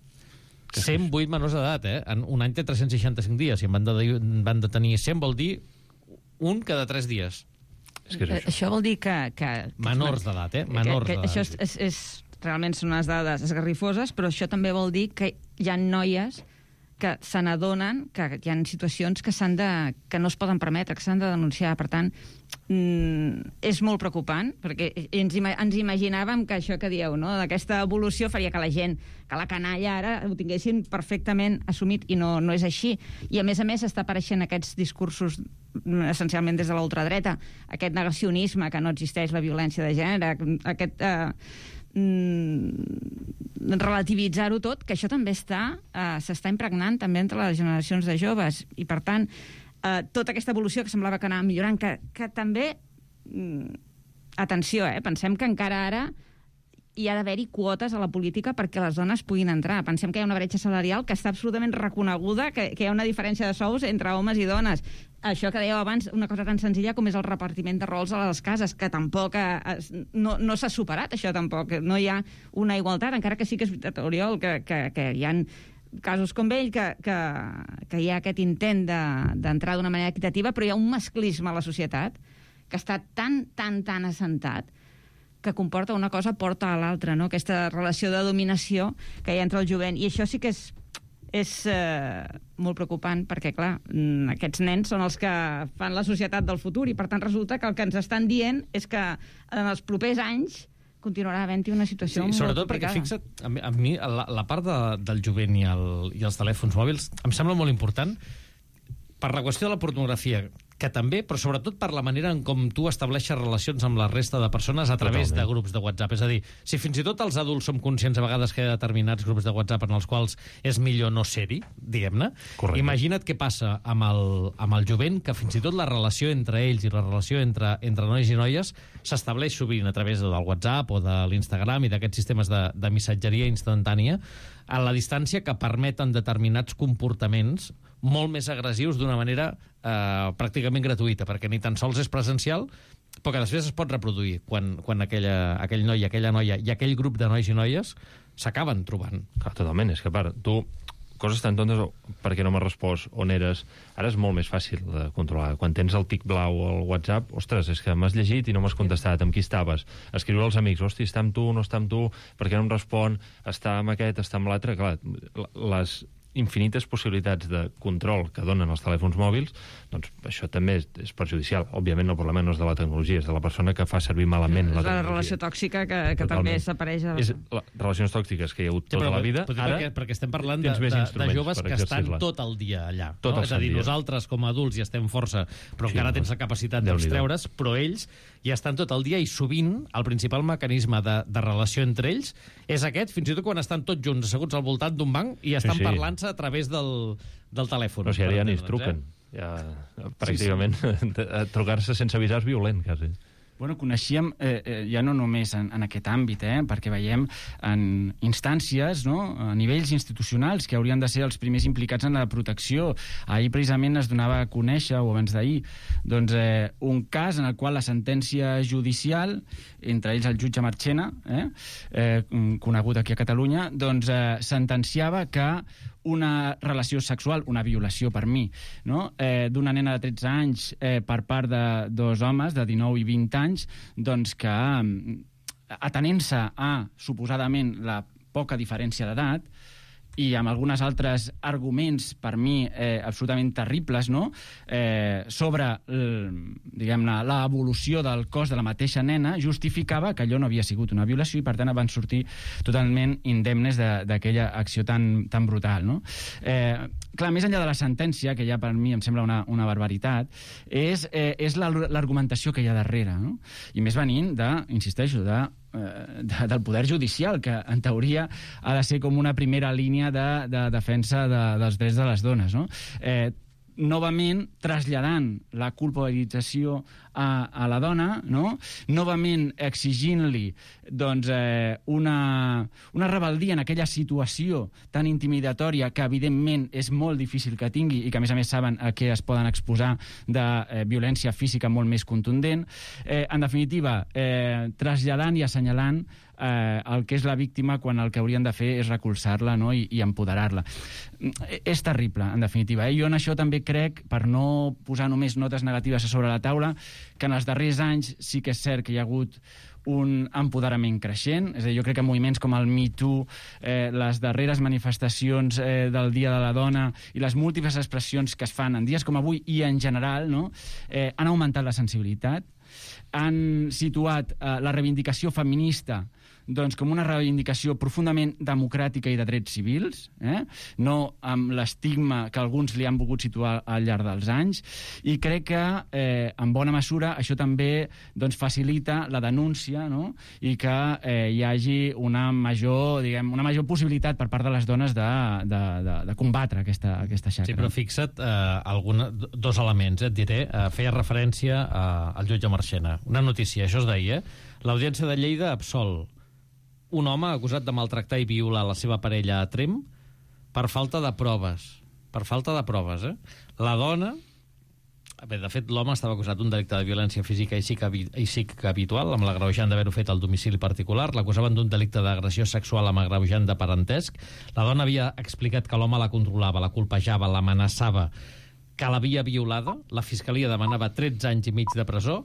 cent vuit menors d'edat, eh? En un any té tres-cents seixanta-cinc dies, i en van, de, van detenir cent, vol dir un cada tres dies. És que és això. Això vol dir que... que, que menors d'edat, eh? Menors que, que, d'edat. Això és, és, és, realment són unes dades esgarrifoses, però això també vol dir que hi ha noies que se n'adonen que hi ha situacions que s'han de, que no es poden permetre, que s'han de denunciar. Per tant, mm, és molt preocupant, perquè ens, ens imaginàvem que això que dieu, no? D'aquesta evolució faria que la gent, que la canalla ara ho tinguessin perfectament assumit, i no, no és així. I a més a més està apareixent aquests discursos essencialment des de l'ultradreta, aquest negacionisme que no existeix la violència de gènere, aquest... Eh, mm, relativitzar-ho tot, que això també està, eh, s'està impregnant també entre les generacions de joves, i per tant, eh, tota aquesta evolució que semblava que anava millorant, que, que també, mm, atenció, eh, pensem que encara ara hi ha d'haver-hi quotes a la política perquè les dones puguin entrar. Pensem que hi ha una bretxa salarial que està absolutament reconeguda, que, que hi ha una diferència de sous entre homes i dones. Això que dèieu abans, una cosa tan senzilla com és el repartiment de rols a les cases, que tampoc es, no, no s'ha superat, això tampoc. No hi ha una igualtat, encara que sí que és veritat, Oriol, que, que, que hi ha casos com ell, que, que, que hi ha aquest intent d'entrar de, d'una manera equitativa, però hi ha un masclisme a la societat que està tan, tan, tan assentat que comporta una cosa porta a l'altra, no? Aquesta relació de dominació que hi ha entre el jovent. I això sí que és, és eh, molt preocupant, perquè, clar, aquests nens són els que fan la societat del futur, i per tant resulta que el que ens estan dient és que en els propers anys continuarà havent-hi una situació sí, molt sobretot complicada. Perquè, fixa't, a mi, a mi la, la part de, del jovent i, el, i els telèfons mòbils em sembla molt important per la qüestió de la pornografia, que també, però sobretot per la manera en com tu estableixes relacions amb la resta de persones a través Totalment. de grups de WhatsApp. És a dir, si fins i tot els adults som conscients a vegades que hi ha determinats grups de WhatsApp en els quals és millor no ser-hi, diguem-ne, imagina't què passa amb el, amb el jovent, que fins i tot la relació entre ells i la relació entre, entre nois i noies s'estableix sovint a través del WhatsApp o de l'Instagram i d'aquests sistemes de, de missatgeria instantània a la distància que permeten determinats comportaments molt més agressius d'una manera eh, pràcticament gratuïta, perquè ni tan sols és presencial, però que després es pot reproduir quan, quan aquella, aquell noi, aquella noia i aquell grup de nois i noies s'acaben trobant. Clar, totalment, és que a part, tu coses tan tontes, perquè no m'has respost, on eres, ara és molt més fàcil de controlar. Quan tens el tic blau al WhatsApp, ostres, és que m'has llegit i no m'has contestat, amb qui estaves? Escriure als amics, hosti, està amb tu, no està amb tu, per què no em respon, està amb aquest, està amb l'altre? Clar, les infinites possibilitats de control que donen els telèfons mòbils, doncs això també és, és perjudicial. Òbviament el problema no és de la tecnologia, és de la persona que fa servir malament la tecnologia. La relació tòxica que, que també s'apareix a... És la, relacions tòxiques que hi ha hagut tota sí, la vida, ara perquè, perquè estem parlant de, de, de joves que estan tot el dia allà. Tot no? el És a dir, dia. Nosaltres com a adults ja estem força, però sí, encara tens la capacitat d'extreure's, però ells ja estan tot el dia, i sovint el principal mecanisme de, de relació entre ells és aquest, fins i tot quan estan tots junts asseguts al voltant d'un banc i estan sí, sí. parlant-se a través del, del telèfon. No, si ara ja ni es truquen. Eh? Ja, pràcticament, sí, sí. trucar-se sense avisar és violent, quasi. Bueno, coneixíem, eh, eh, ja no només en, en aquest àmbit, eh, perquè veiem en instàncies, no?, a nivells institucionals que haurien de ser els primers implicats en la protecció. Ahir precisament es donava a conèixer, o abans d'ahir, doncs, eh, un cas en el qual la sentència judicial, entre ells el jutge Marchena, eh, eh, conegut aquí a Catalunya, doncs eh, sentenciava que una relació sexual, una violació per mi, no? eh, d'una nena de tretze anys eh, per part de dos homes de dinou i vint anys, doncs que, atenent-se a, suposadament, la poca diferència d'edat, i amb algunes altres arguments, per mi, eh, absolutament terribles, no?, eh, sobre, diguem-ne, l'evolució del cos de la mateixa nena, justificava que allò no havia sigut una violació i, per tant, van sortir totalment indemnes d'aquella acció tan, tan brutal, no? Eh, clar, més enllà de la sentència, que ja per mi em sembla una, una barbaritat, és, eh, és l'argumentació que hi ha darrere, no? I més venint de, insisteixo, de De, del poder judicial, que en teoria ha de ser com una primera línia de, de defensa de, dels drets de les dones, no? Eh, novament traslladant la culpabilització a, a la dona, no? Novament exigint-li doncs, eh, una, una rebeldia en aquella situació tan intimidatòria que evidentment és molt difícil que tingui i que a més a més saben a què es poden exposar de eh, violència física molt més contundent. Eh, en definitiva, eh, traslladant i assenyalant eh, el que és la víctima quan el que haurien de fer és recolzar-la, no? I, i empoderar-la. És terrible, en definitiva. Eh? Jo en això també crec, per no posar només notes negatives a sobre la taula, que en els darrers anys sí que és cert que hi ha hagut un empoderament creixent. És a dir, jo crec que moviments com el Me Too, eh, les darreres manifestacions eh, del Dia de la Dona i les múltiples expressions que es fan en dies com avui i en general, no? eh, han augmentat la sensibilitat. han situat eh, la reivindicació feminista doncs, com una reivindicació profundament democràtica i de drets civils, eh? no amb l'estigma que alguns li han volgut situar al llarg dels anys, i crec que, eh, en bona mesura, això també doncs, facilita la denúncia, no? I que eh, hi hagi una major, diguem, una major possibilitat per part de les dones de, de, de, de combatre aquesta, aquesta xacra. Sí, però fixa't eh, alguna, dos elements, eh, et diré. Eh, feia referència eh, al jutge Marchena. Una notícia, això es deia, l'Audiència de Lleida absol un home acusat de maltractar i violar la seva parella a Tremp per falta de proves. Per falta de proves, eh? La dona... Bé, de fet, l'home estava acusat d'un delicte de violència física i psíquica habitual, amb l'agreujant d'haver-ho fet al domicili particular. L'acusaven d'un delicte d'agressió sexual amb agreujant de parentesc. La dona havia explicat que l'home la controlava, la colpejava, l'amenaçava, que l'havia violada. La fiscalia demanava tretze anys i mig de presó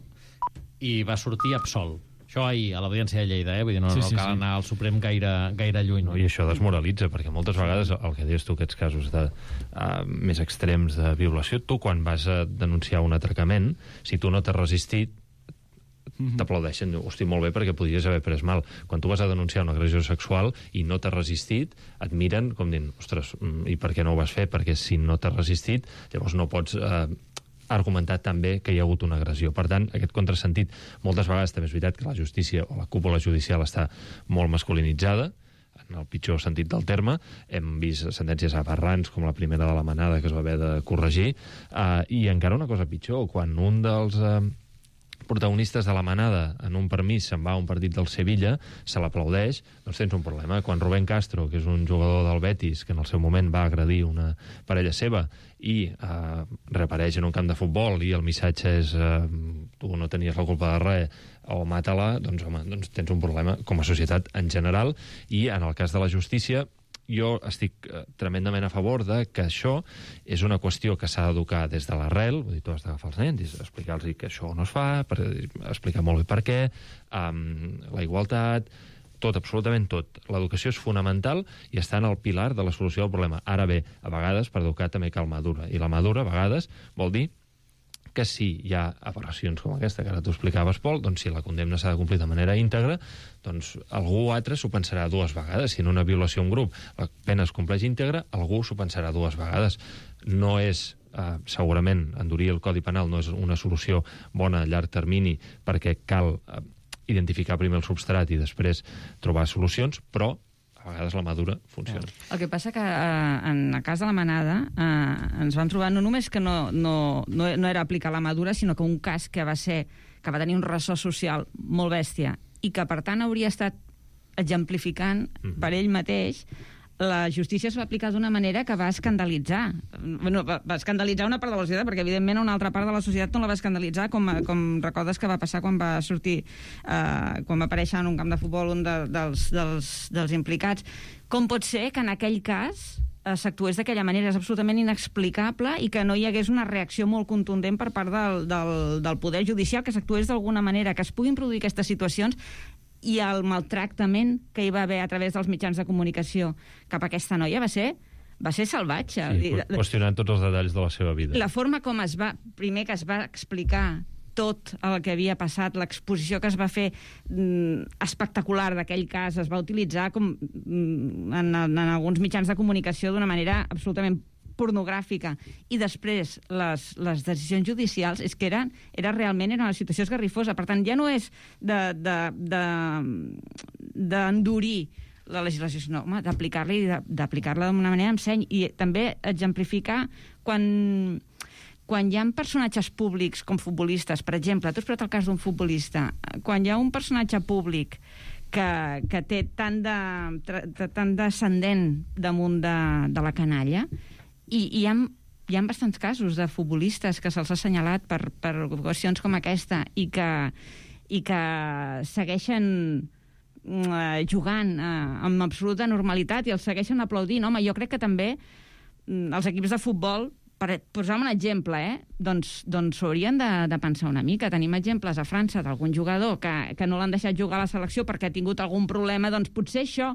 i va sortir absolt. Això ahir, a l'Audiència de Lleida, eh? Vull dir, no, sí, sí, no cal sí. anar al Suprem gaire, gaire lluny. No, I això desmoralitza, perquè moltes vegades el que dius tu, aquests casos de, uh, més extrems de violació, tu quan vas a denunciar un atracament, si tu no t'has resistit, mm-hmm. t'aplaudeixen, hosti, molt bé, perquè podries haver pres mal. Quan tu vas a denunciar una agressió sexual i no t'has resistit, et miren com dient, ostres, i per què no ho vas fer? Perquè si no t'has resistit, llavors no pots... Uh, argumentat també que hi ha hagut una agressió. Per tant, aquest contrasentit, moltes vegades també és veritat que la justícia o la cúpula judicial està molt masculinitzada, en el pitjor sentit del terme. Hem vist sentències aberrants, com la primera de la Manada, que es va haver de corregir, eh, i encara una cosa pitjor, quan un dels... Eh, protagonistes de la Manada en un permís se'n va a un partit del Sevilla, se l'aplaudeix, doncs tens un problema. Quan Rubén Castro, que és un jugador del Betis, que en el seu moment va agredir una parella seva i eh, reapareix en un camp de futbol i el missatge és eh, tu no tenies la culpa de res o mata-la, doncs, home, doncs tens un problema com a societat en general. I en el cas de la justícia, jo estic eh, tremendament a favor de que això és una qüestió que s'ha d'educar des de l'arrel, vull dir, tu has d'agafar els nens, explicar-los que això no es fa, per, explicar molt bé per què, um, la igualtat, tot, absolutament tot. L'educació és fonamental i està en el pilar de la solució del problema. Ara bé, a vegades per educar també cal madura, i la madura a vegades vol dir que si hi ha aberracions com aquesta que ara tu explicaves, Pol, doncs si la condemna s'ha de complir de manera íntegra, doncs algú altre s'ho pensarà dues vegades. Si en una violació a un grup la pena es compleix íntegra, algú s'ho pensarà dues vegades. No és, eh, segurament, endurir el Codi Penal no és una solució bona a llarg termini perquè cal eh, identificar primer el substrat i després trobar solucions, però a vegades la madura funciona. El que passa que eh, en el cas de la Manada eh, ens vam trobar no només que no, no, no, no era aplicar la madura, sinó que un cas que va ser que va tenir un ressò social molt bèstia i que per tant hauria estat exemplificant mm-hmm. per ell mateix, la justícia es va aplicar d'una manera que va escandalitzar. Bueno, va, va escandalitzar una part de la societat, perquè evidentment una altra part de la societat no la va escandalitzar, com, com recordes que va passar quan va sortir, eh, quan va aparèixer en un camp de futbol un de, dels, dels, dels implicats. Com pot ser que en aquell cas eh, s'actués d'aquella manera? És absolutament inexplicable i que no hi hagués una reacció molt contundent per part del, del, del poder judicial, que s'actués d'alguna manera, que es puguin produir aquestes situacions i el maltractament que hi va haver a través dels mitjans de comunicació cap a aquesta noia va ser, va ser salvatge. Sí, qüestionant tots els detalls de la seva vida. La forma com es va, primer que es va explicar tot el que havia passat, l'exposició que es va fer mm, espectacular d'aquell cas, es va utilitzar com, mm, en, en alguns mitjans de comunicació d'una manera absolutament pornogràfica, i després les, les decisions judicials és que eren, era realment era una situació esgarrifosa. Per tant, ja no és d'endurir de, de, la legislació, sinó d'aplicar-la i d'aplicar-la d'una manera amb seny, i també exemplificar quan, quan hi ha personatges públics com futbolistes, per exemple, tu has posat el cas d'un futbolista, quan hi ha un personatge públic que, que té tant de, tant d'ascendent damunt de, de la canalla, i hi ha, hi ha bastants casos de futbolistes que se'ls ha assenyalat per, per qüestions com aquesta i que, i que segueixen eh, jugant eh, amb absoluta normalitat i els segueixen aplaudint. Home, jo crec que també mm, els equips de futbol, per posar un exemple, eh, doncs, doncs haurien de, de pensar una mica. Tenim exemples a França d'algun jugador que, que no l'han deixat jugar a la selecció perquè ha tingut algun problema, doncs potser això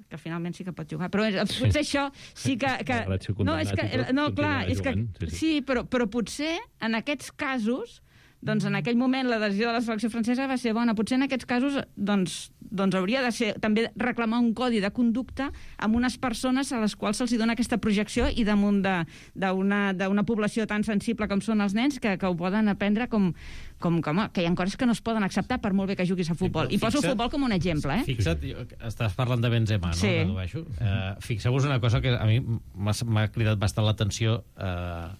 que finalment sí que pot jugar, però potser sí. això sí que... que no, és que, no, clar, és que, sí, sí. sí però, però potser en aquests casos doncs en aquell moment la decisió de la selecció francesa va ser bona. Potser en aquests casos doncs, doncs hauria de ser també reclamar un codi de conducta amb unes persones a les quals se'ls dona aquesta projecció i damunt d'una població tan sensible com són els nens que, que ho poden aprendre com, com, com que hi ha coses que no es poden acceptar per molt bé que juguis a futbol. I poso el futbol com un exemple, eh? Fixa't, estàs parlant de Benzema, no? Sí. Uh, fixeu-vos una cosa que a mi m'ha cridat bastant l'atenció uh,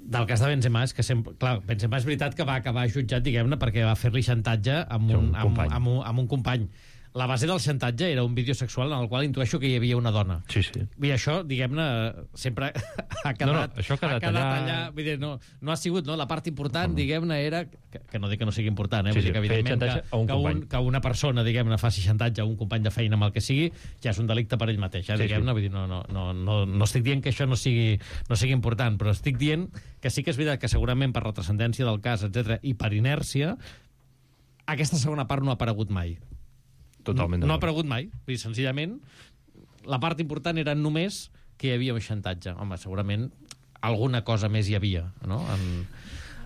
del cas de Benzema, és que sempre... Clar, Benzema és veritat que va acabar jutjat, diguem-ne, perquè va fer-li xantatge amb un, un amb, amb, un, amb un company. La base del xantatge era un vídeo sexual en el qual intueixo que hi havia una dona. Sí, sí. I això, diguem-ne, sempre ha quedat, no, no, això ha quedat, ha quedat allà... allà... Vull dir, no, no ha sigut, no? La part important, no. diguem-ne, era... Que, que no dic que no sigui important, eh? Sí, Vull dir que, evidentment, que, un que, un, que una persona, diguem-ne, faci xantatge a un company de feina amb el que sigui, ja és un delicte per ell mateix, eh? Sí, diguem-ne. sí. Vull dir, no, no, no, no, no estic dient que això no sigui, no sigui important, però estic dient que sí que és veritat que segurament per la transcendència del cas, etcètera, i per inèrcia, aquesta segona part no ha aparegut mai. Totalment. No, no ha aparegut mai. Vull dir, senzillament, la part important era només que hi havia un xantatge. Home, segurament alguna cosa més hi havia, no?, en,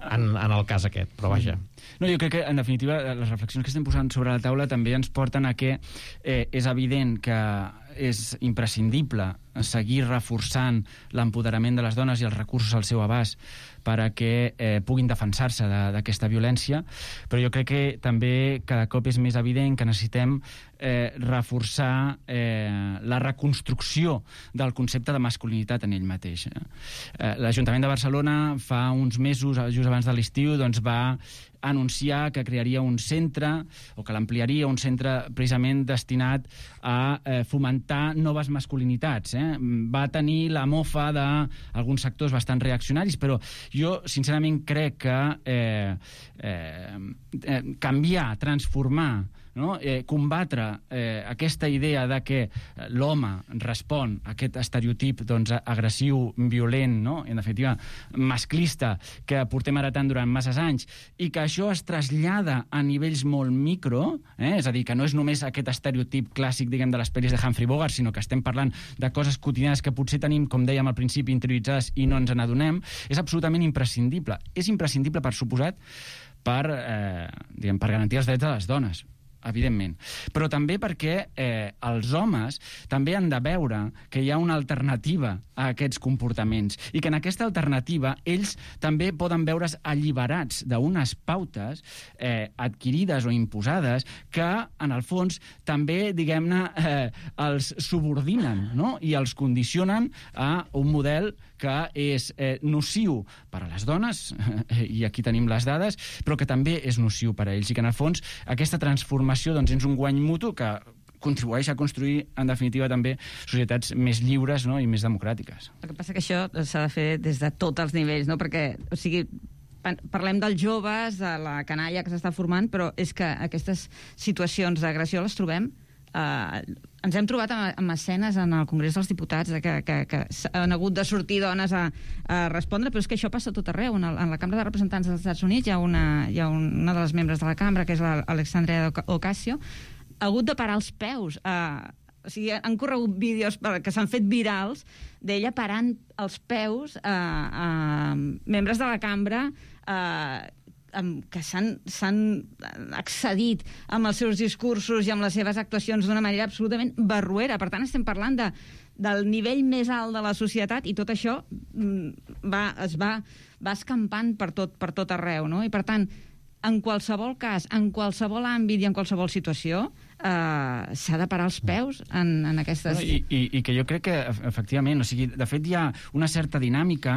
en, en el cas aquest, però vaja. No, jo crec que, en definitiva, les reflexions que estem posant sobre la taula també ens porten a que eh, és evident que és imprescindible seguir reforçant l'empoderament de les dones i els recursos al seu abast per a que eh, puguin defensar-se d'aquesta violència, però jo crec que també cada cop és més evident que necessitem eh, reforçar eh, la reconstrucció del concepte de masculinitat en ell mateix. Eh, L'Ajuntament de Barcelona fa uns mesos, just abans de l'estiu, doncs va anunciar que crearia un centre, o que l'ampliaria, un centre precisament destinat a eh, fomentar noves masculinitats. Eh? Va tenir la mofa d'alguns sectors bastant reaccionaris, però jo sincerament crec que eh, eh, eh, canviar, transformar, no? eh, combatre eh, aquesta idea de que l'home respon a aquest estereotip doncs, agressiu, violent, no? en definitiva masclista, que portem heretant durant masses anys, i que això es trasllada a nivells molt micro, eh? és a dir, que no és només aquest estereotip clàssic, diguem, de les pel·lis de Humphrey Bogart, sinó que estem parlant de coses quotidianes que potser tenim, com dèiem al principi, interioritzades i no ens n'adonem, és absolutament imprescindible. És imprescindible, per suposat, per, eh, diguem, per garantir els drets de les dones, evidentment, però també perquè eh, els homes també han de veure que hi ha una alternativa a aquests comportaments i que en aquesta alternativa ells també poden veure's alliberats d'unes pautes eh, adquirides o imposades que, en el fons, també, diguem-ne, eh, els subordinen, no? I els condicionen a un model que és eh, nociu per a les dones, eh, i aquí tenim les dades, però que també és nociu per a ells, i que, en el fons, aquesta transformació doncs, és un guany mutu que contribueix a construir, en definitiva, també societats més lliures, no?, i més democràtiques. El que passa que això s'ha de fer des de tots els nivells, no?, perquè, o sigui, parlem dels joves, de la canalla que s'està formant, però és que aquestes situacions d'agressió les trobem Uh, ens hem trobat amb, amb escenes en el Congrés dels Diputats de que, que, que han hagut de sortir dones a, a respondre, però és que això passa tot arreu. En, el, en la Cambra de Representants dels Estats Units hi ha una, hi ha una de les membres de la cambra, que és l'Alexandria Ocasio, ha hagut de parar els peus. Uh, o sigui, han corregut vídeos que s'han fet virals d'ella parant els peus a uh, uh, membres de la cambra uh, que s'han accedit amb els seus discursos i amb les seves actuacions d'una manera absolutament barroera. Per tant, estem parlant de, del nivell més alt de la societat, i tot això va, es va, va escampant per tot, per tot arreu, no? I per tant, en qualsevol cas, en qualsevol àmbit i en qualsevol situació, eh, s'ha de parar els peus en, en aquestes... No, i, i, I que jo crec que, efectivament, o sigui, de fet hi ha una certa dinàmica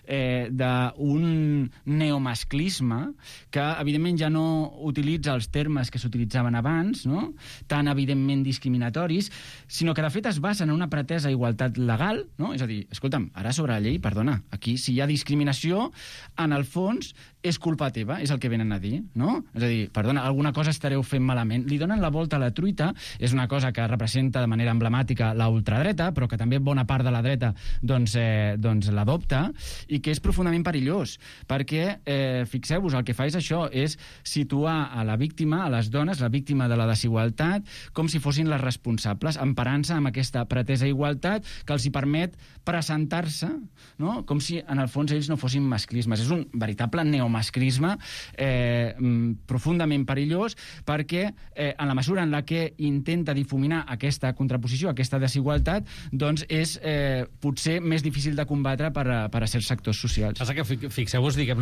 eh, d'un neomasclisme que, evidentment, ja no utilitza els termes que s'utilitzaven abans, no?, tan evidentment discriminatoris, sinó que, de fet, es basa en una pretesa igualtat legal, no? És a dir, escolta'm, ara sobre la llei, perdona, aquí, si hi ha discriminació, en el fons és culpa teva, és el que venen a dir, no? És a dir, perdona, alguna cosa estareu fent malament. Li donen la volta a la la truita. És una cosa que representa de manera emblemàtica la ultradreta, però que també bona part de la dreta doncs, eh, doncs l'adopta, i que és profundament perillós, perquè, eh, fixeu-vos, el que fa és això, és situar a la víctima, a les dones, la víctima de la desigualtat, com si fossin les responsables, emparant-se amb aquesta pretesa igualtat que els hi permet presentar-se, no?, com si en el fons ells no fossin masclismes. És un veritable neomasclisme eh, profundament perillós, perquè eh, en la mesura en la que intenta difuminar aquesta contraposició, aquesta desigualtat, doncs és eh, potser més difícil de combatre per a, per a certs sectors socials. Passa que fixeu-vos, diguem,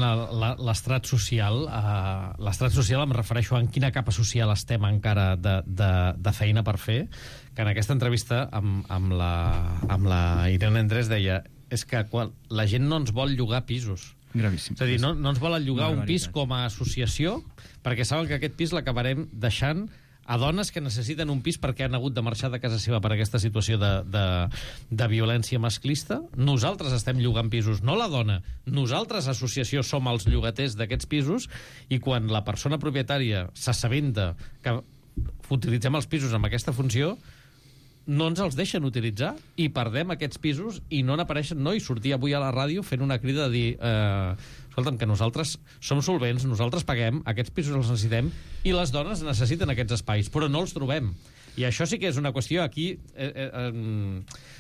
l'estrat social, uh, l'estrat social em refereixo a en quina capa social estem encara de, de, de feina per fer, que en aquesta entrevista amb, amb, la, amb la Irene Andrés deia és que quan la gent no ens vol llogar pisos. Gravíssim. És a dir, no, no ens volen llogar un pis com a associació perquè saben que aquest pis l'acabarem deixant a dones que necessiten un pis perquè han hagut de marxar de casa seva per aquesta situació de, de, de violència masclista. Nosaltres estem llogant pisos, no la dona. Nosaltres, associació, som els llogaters d'aquests pisos, i quan la persona propietària s'assabenta que utilitzem els pisos amb aquesta funció, no ens els deixen utilitzar i perdem aquests pisos i no n'apareixen. No, i sortir avui a la ràdio fent una crida de dir eh, escolta'm, que nosaltres som solvents, nosaltres paguem, aquests pisos els necessitem i les dones necessiten aquests espais, però no els trobem. I això sí que és una qüestió aquí... Eh, eh, eh,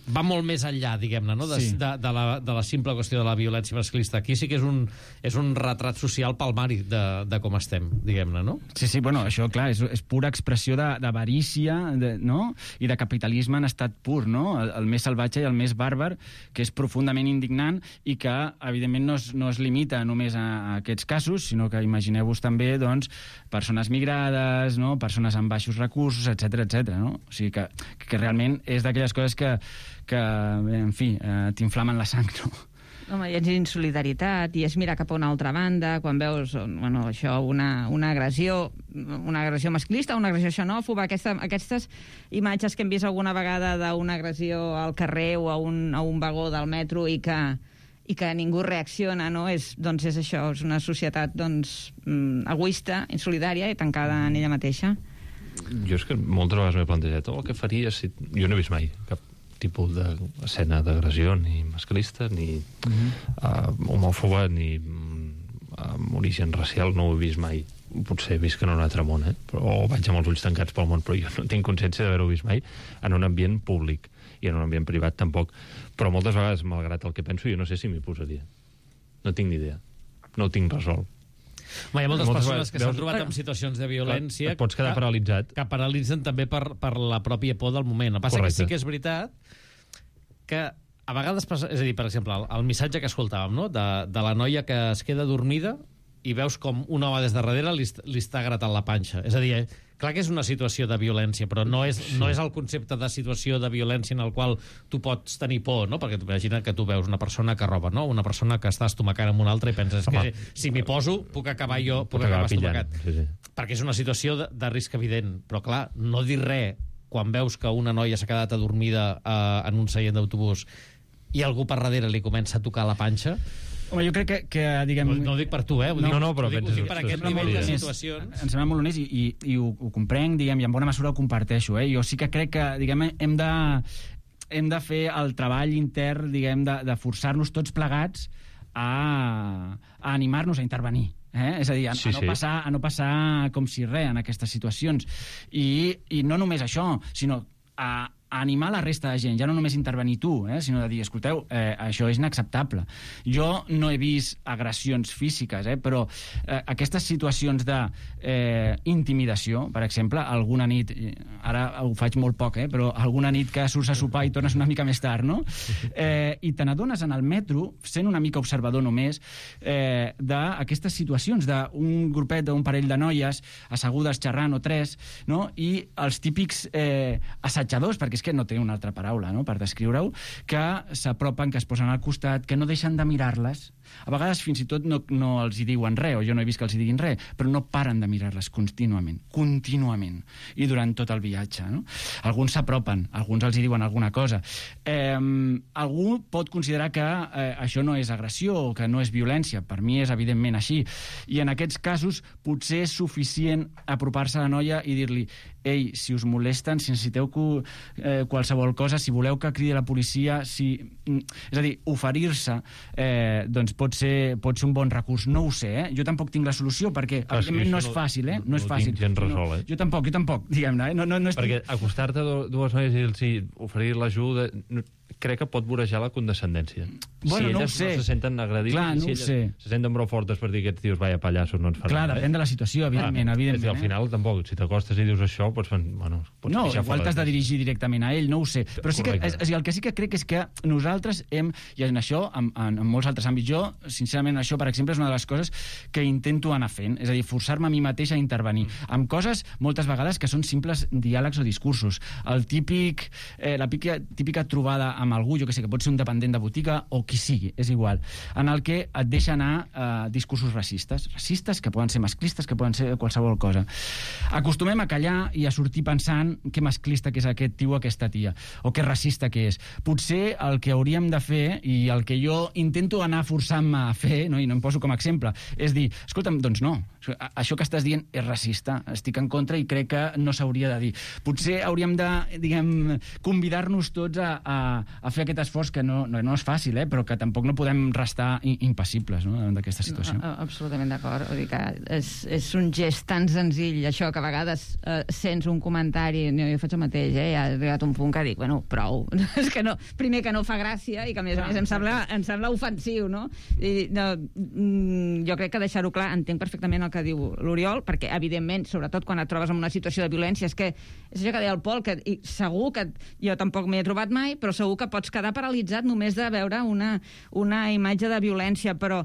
va molt més enllà, diguem-ne, no? de, sí. de, de, la, de la simple qüestió de la violència masclista. Aquí sí que és un, és un retrat social palmari de, de com estem, diguem-ne, no? Sí, sí, bueno, això, clar, és, és pura expressió d'avarícia, no?, i de capitalisme en estat pur, no?, el, el més salvatge i el més bàrbar, que és profundament indignant i que, evidentment, no es, no es limita només a, a aquests casos, sinó que imagineu-vos també, doncs, persones migrades, no?, persones amb baixos recursos, etcètera, etcètera, no? O sigui que, que realment és d'aquelles coses que que, en fi, eh, t'inflamen la sang, no? Home, i és insolidaritat, i és mirar cap a una altra banda, quan veus, bueno, això, una, una agressió, una agressió masclista, una agressió xenòfoba, aquesta, aquestes imatges que hem vist alguna vegada d'una agressió al carrer o a un, a un vagó del metro i que, i que ningú reacciona, no? És, doncs és això, és una societat, doncs, egoista, insolidària i tancada en ella mateixa. Jo és que moltes vegades m'he plantejat el que faria si... Jo no he vist mai cap tipus d'escena d'agressió, ni masclista, ni uh-huh. uh, homòfoba, ni uh, amb origen racial, no ho he vist mai. Potser he vist que en un altre món, eh? Però, o vaig amb els ulls tancats pel món, però jo no tinc consciència d'haver-ho vist mai en un ambient públic, i en un ambient privat tampoc. Però moltes vegades, malgrat el que penso, jo no sé si m'hi posaria. No tinc ni idea. No ho tinc resolt. Hi ha moltes, moltes persones que s'han trobat en situacions de violència... Et pots quedar que, paralitzat. Que paralitzen també per, per la pròpia por del moment. El que passa que sí que és veritat que a vegades... És a dir, per exemple, el, el missatge que escoltàvem, no?, de, de la noia que es queda dormida i veus com un home des de darrere li, li està gratant la panxa. És a dir, clar que és una situació de violència, però no és, sí. no és el concepte de situació de violència en el qual tu pots tenir por, no? Perquè imagina que tu veus una persona que roba, no? Una persona que està estomacant amb una altra i penses Home. que si m'hi poso puc acabar jo, puc, puc acabar, acabar estomacat. Sí, sí. Perquè és una situació de, de risc evident. Però clar, no dir res quan veus que una noia s'ha quedat adormida eh, en un seient d'autobús i algú per darrere li comença a tocar la panxa... Home, jo crec que, que diguem... No, no ho dic per tu, eh? Ho no, dic, no, però ho dic, ho dic per aquest nivell de situacions. Em sembla molt honest i, i, i ho, ho comprenc, diguem, i en bona mesura ho comparteixo, eh? Jo sí que crec que, diguem, hem de, hem de fer el treball intern, diguem, de, de forçar-nos tots plegats a, a animar-nos a intervenir. Eh? És a dir, a, sí, a, no passar, a no passar com si res en aquestes situacions. I, i no només això, sinó a, a animar la resta de gent, ja no només intervenir tu, eh? Sinó de dir, escolteu, eh, això és inacceptable. Jo no he vist agressions físiques, eh? Però eh, aquestes situacions de eh, intimidació, per exemple, alguna nit, ara ho faig molt poc, eh? Però alguna nit que surts a sopar i tornes una mica més tard, no? Eh, I te n'adones en el metro, sent una mica observador només, eh, d'aquestes situacions, d'un grupet, d'un parell de noies assegudes xerrant o tres, no? I els típics eh, assetjadors, perquè és que no té una altra paraula, no?, per descriure-ho, que s'apropen, que es posen al costat, que no deixen de mirar-les, A vegades fins i tot no, no els hi diuen res, o jo no he vist que els hi diguin res, però no paren de mirar-les contínuament, contínuament, i durant tot el viatge. No? Alguns s'apropen, alguns els hi diuen alguna cosa. Eh, algú pot considerar que eh, això no és agressió o que no és violència. Per mi és evidentment així. I en aquests casos potser és suficient apropar-se a la noia i dir-li: ei, si us molesten, si necessiteu eh, qualsevol cosa, si voleu que cridi la policia, si... És a dir, oferir-se eh, doncs pot ser, pot ser un bon recurs. No ho sé, eh? Jo tampoc tinc la solució, perquè ah, evidentment no és fàcil, eh? No, no és fàcil. No gens resol, eh? No, jo tampoc, jo tampoc, diguem-ne. Eh? No, no, no estic... Perquè acostar-te a dues noies i els oferir l'ajuda... No, crec que pot vorejar la condescendència. Bueno, si no elles ho sé. no se senten agredits, clar, no si ho sé. se senten prou fortes per dir aquests tios vaya pallassos, no ens faran clar, res. depèn de la situació, evidentment. Clar, evidentment és que al final, eh? tampoc, si t'acostes i dius això, pots, bueno, pots no, pixar igual t'has de dirigir directament a ell, no ho sé. Però sí que, és, és, el que sí que crec és que nosaltres hem, i en això, en, en, en molts altres àmbits, jo, sincerament, això, per exemple, és una de les coses que intento anar fent, és a dir, forçar-me a mi mateix a intervenir, mm. amb coses, moltes vegades, que són simples diàlegs o discursos. El típic, eh, la típica, típica trobada amb algú, jo que sé, que pot ser un dependent de botiga, o qui sigui, és igual, en el que et deixa anar eh, discursos racistes, racistes que poden ser masclistes, que poden ser qualsevol cosa. Acostumem a callar i a sortir pensant que masclista que és aquest tio o aquesta tia, o que racista que és. Potser el que hauríem de fer, i el que jo intento anar forçant-me a fer, no, i no em poso com a exemple, és dir, escolta'm, doncs no, això que estàs dient és racista, estic en contra i crec que no s'hauria de dir. Potser hauríem de, diguem, convidar-nos tots a, a, a fer aquest esforç que no, no, no és fàcil, eh, però que tampoc no podem restar impassibles, no, davant d'aquesta situació. No, absolutament d'acord. Vull dir que és, és un gest tan senzill, això, que a vegades eh, sents un comentari, no, jo faig el mateix, eh, ha arribat un punt que dic, bueno, prou. És que no, primer que no fa gràcia i que a més a més em sembla, em sembla ofensiu, no? I, no jo crec que deixar-ho clar, entenc perfectament el que diu l'Oriol, perquè evidentment, sobretot quan et trobes en una situació de violència, és que és això que deia el Pol, que i segur que jo tampoc m'hi he trobat mai, però segur que pots quedar paralitzat només de veure una, una imatge de violència, però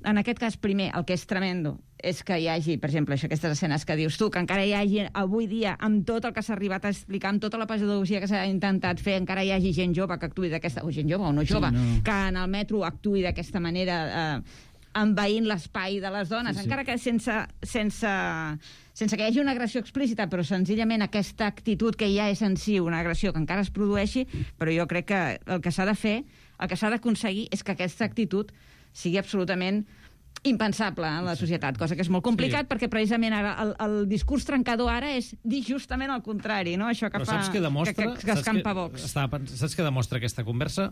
en aquest cas, primer, el que és tremendo és que hi hagi, per exemple, això, aquestes escenes que dius tu, que encara hi hagi avui dia, amb tot el que s'ha arribat a explicar, amb tota la pedagogia que s'ha intentat fer, encara hi hagi gent jove que actuï d'aquesta... o gent jove o no jove, sí, no. que en el metro actuï d'aquesta manera, eh, envaint l'espai de les dones, sí, sí. encara que sense, sense, sense que hi hagi una agressió explícita, però senzillament aquesta actitud que ja és en si una agressió que encara es produeixi, però jo crec que el que s'ha de fer, el que s'ha d'aconseguir és que aquesta actitud sigui absolutament impensable en la societat, cosa que és molt complicat, sí. perquè precisament ara el, el discurs trencador ara és dir justament el contrari, no? Això que però fa... Saps què demostra? Que, que, que escampa Vox. Estava, saps què demostra aquesta conversa?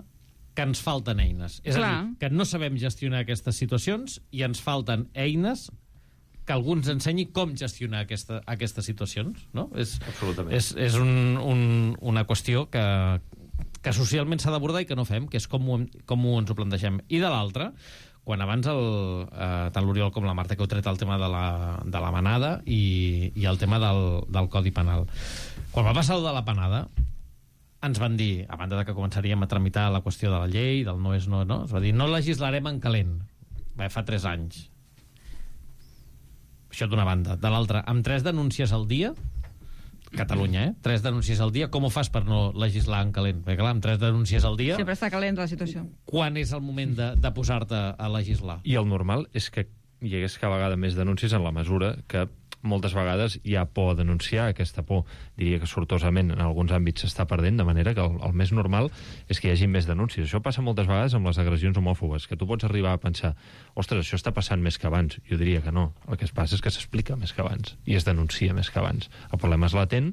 Que ens falten eines. És Clar. a dir, que no sabem gestionar aquestes situacions i ens falten eines que algú ens ensenyi com gestionar aquesta, aquestes situacions, no? És, Absolutament. És, és un, un, una qüestió que, que socialment s'ha d'abordar i que no fem, que és com ho, com ho ens ho plantegem. I de l'altra, quan abans el, eh, tant l'Oriol com la Marta que heu tret el tema de la, de la manada i, i el tema del, del Codi Penal. Quan va passar el de la panada, ens van dir, a banda de que començaríem a tramitar la qüestió de la llei, del no és no, no, es va dir, no legislarem en calent. Bé, fa tres anys. Això d'una banda. De l'altra, amb tres denúncies al dia, Catalunya, eh? Tres denúncies al dia, com ho fas per no legislar en calent? Perquè, clar, amb tres denúncies al dia... Sempre està calent la situació. Quan és el moment de, de posar-te a legislar? I el normal és que hi hagués cada vegada més denúncies en la mesura que moltes vegades hi ha por a denunciar. Aquesta por, diria que sortosament en alguns àmbits s'està perdent, de manera que el, el més normal és que hi hagi més denúncies. Això passa moltes vegades amb les agressions homòfobes, que tu pots arribar a pensar, ostres, això està passant més que abans. Jo diria que no. El que es passa és que s'explica més que abans i es denuncia més que abans. El problema és latent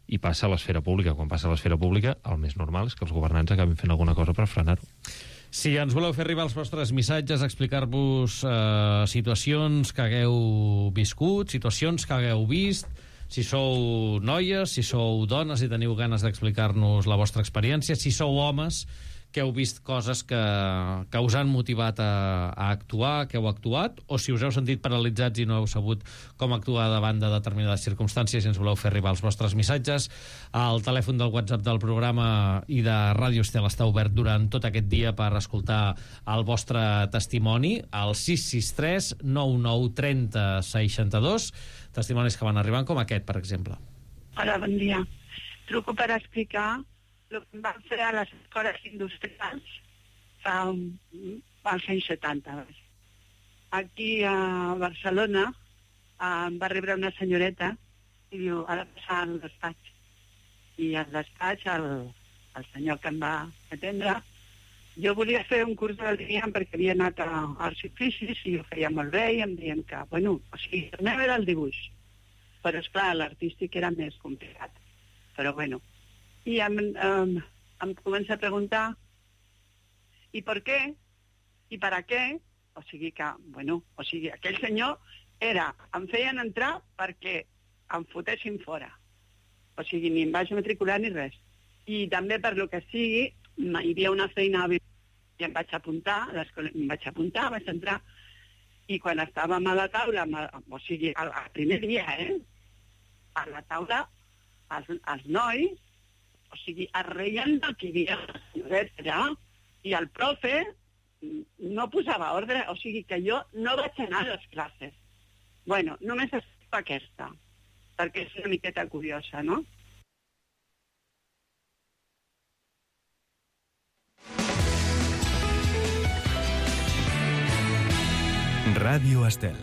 i passa a l'esfera pública. Quan passa a l'esfera pública, el més normal és que els governants acabin fent alguna cosa per frenar-ho. Si ens voleu fer arribar els vostres missatges, explicar-vos eh, situacions que hagueu viscut, situacions que hagueu vist, si sou noies, si sou dones i teniu ganes d'explicar-nos la vostra experiència, si sou homes que heu vist coses que, que us han motivat a, a actuar, que heu actuat, o si us heu sentit paralitzats i no heu sabut com actuar davant de determinades circumstàncies, i ens voleu fer arribar els vostres missatges. El telèfon del WhatsApp del programa i de Ràdio Estel està obert durant tot aquest dia per escoltar el vostre testimoni, al sis sis tres nou nou trenta seixanta-dos, testimonis que van arribant com aquest, per exemple. Hola, bon dia. Truco per explicar el que van fer a les escoles industrials fa un, als anys setanta. aquí a Barcelona em va rebre una senyoreta i diu, ha de passar al despatx. I al despatx, el, el senyor que em va atendre, jo volia fer un curs de l'Adrián perquè havia anat a Arts i Oficis i ho feia molt bé i em deien que, bueno, o sigui, el meu era el dibuix. Però, esclar, l'artístic era més complicat. Però, bueno. I em, em, em comença a preguntar i per què? I per a què? O sigui que, bueno, o sigui, aquell senyor era, em feien entrar perquè em fotessin fora. O sigui, ni em vaig matricular ni res. I també per lo que sigui, hi havia una feina i em vaig apuntar, a l'escola em vaig apuntar, vaig entrar, i quan estàvem a la taula, o sigui, el, el primer dia, eh? A la taula, els, els nois, o sigui, es reien del que hi havia la senyoreta allà, i el profe no posava ordre, o sigui que jo no vaig anar a les classes. Bueno, només estic aquesta, perquè és una miqueta curiosa, no? Ràdio Estel.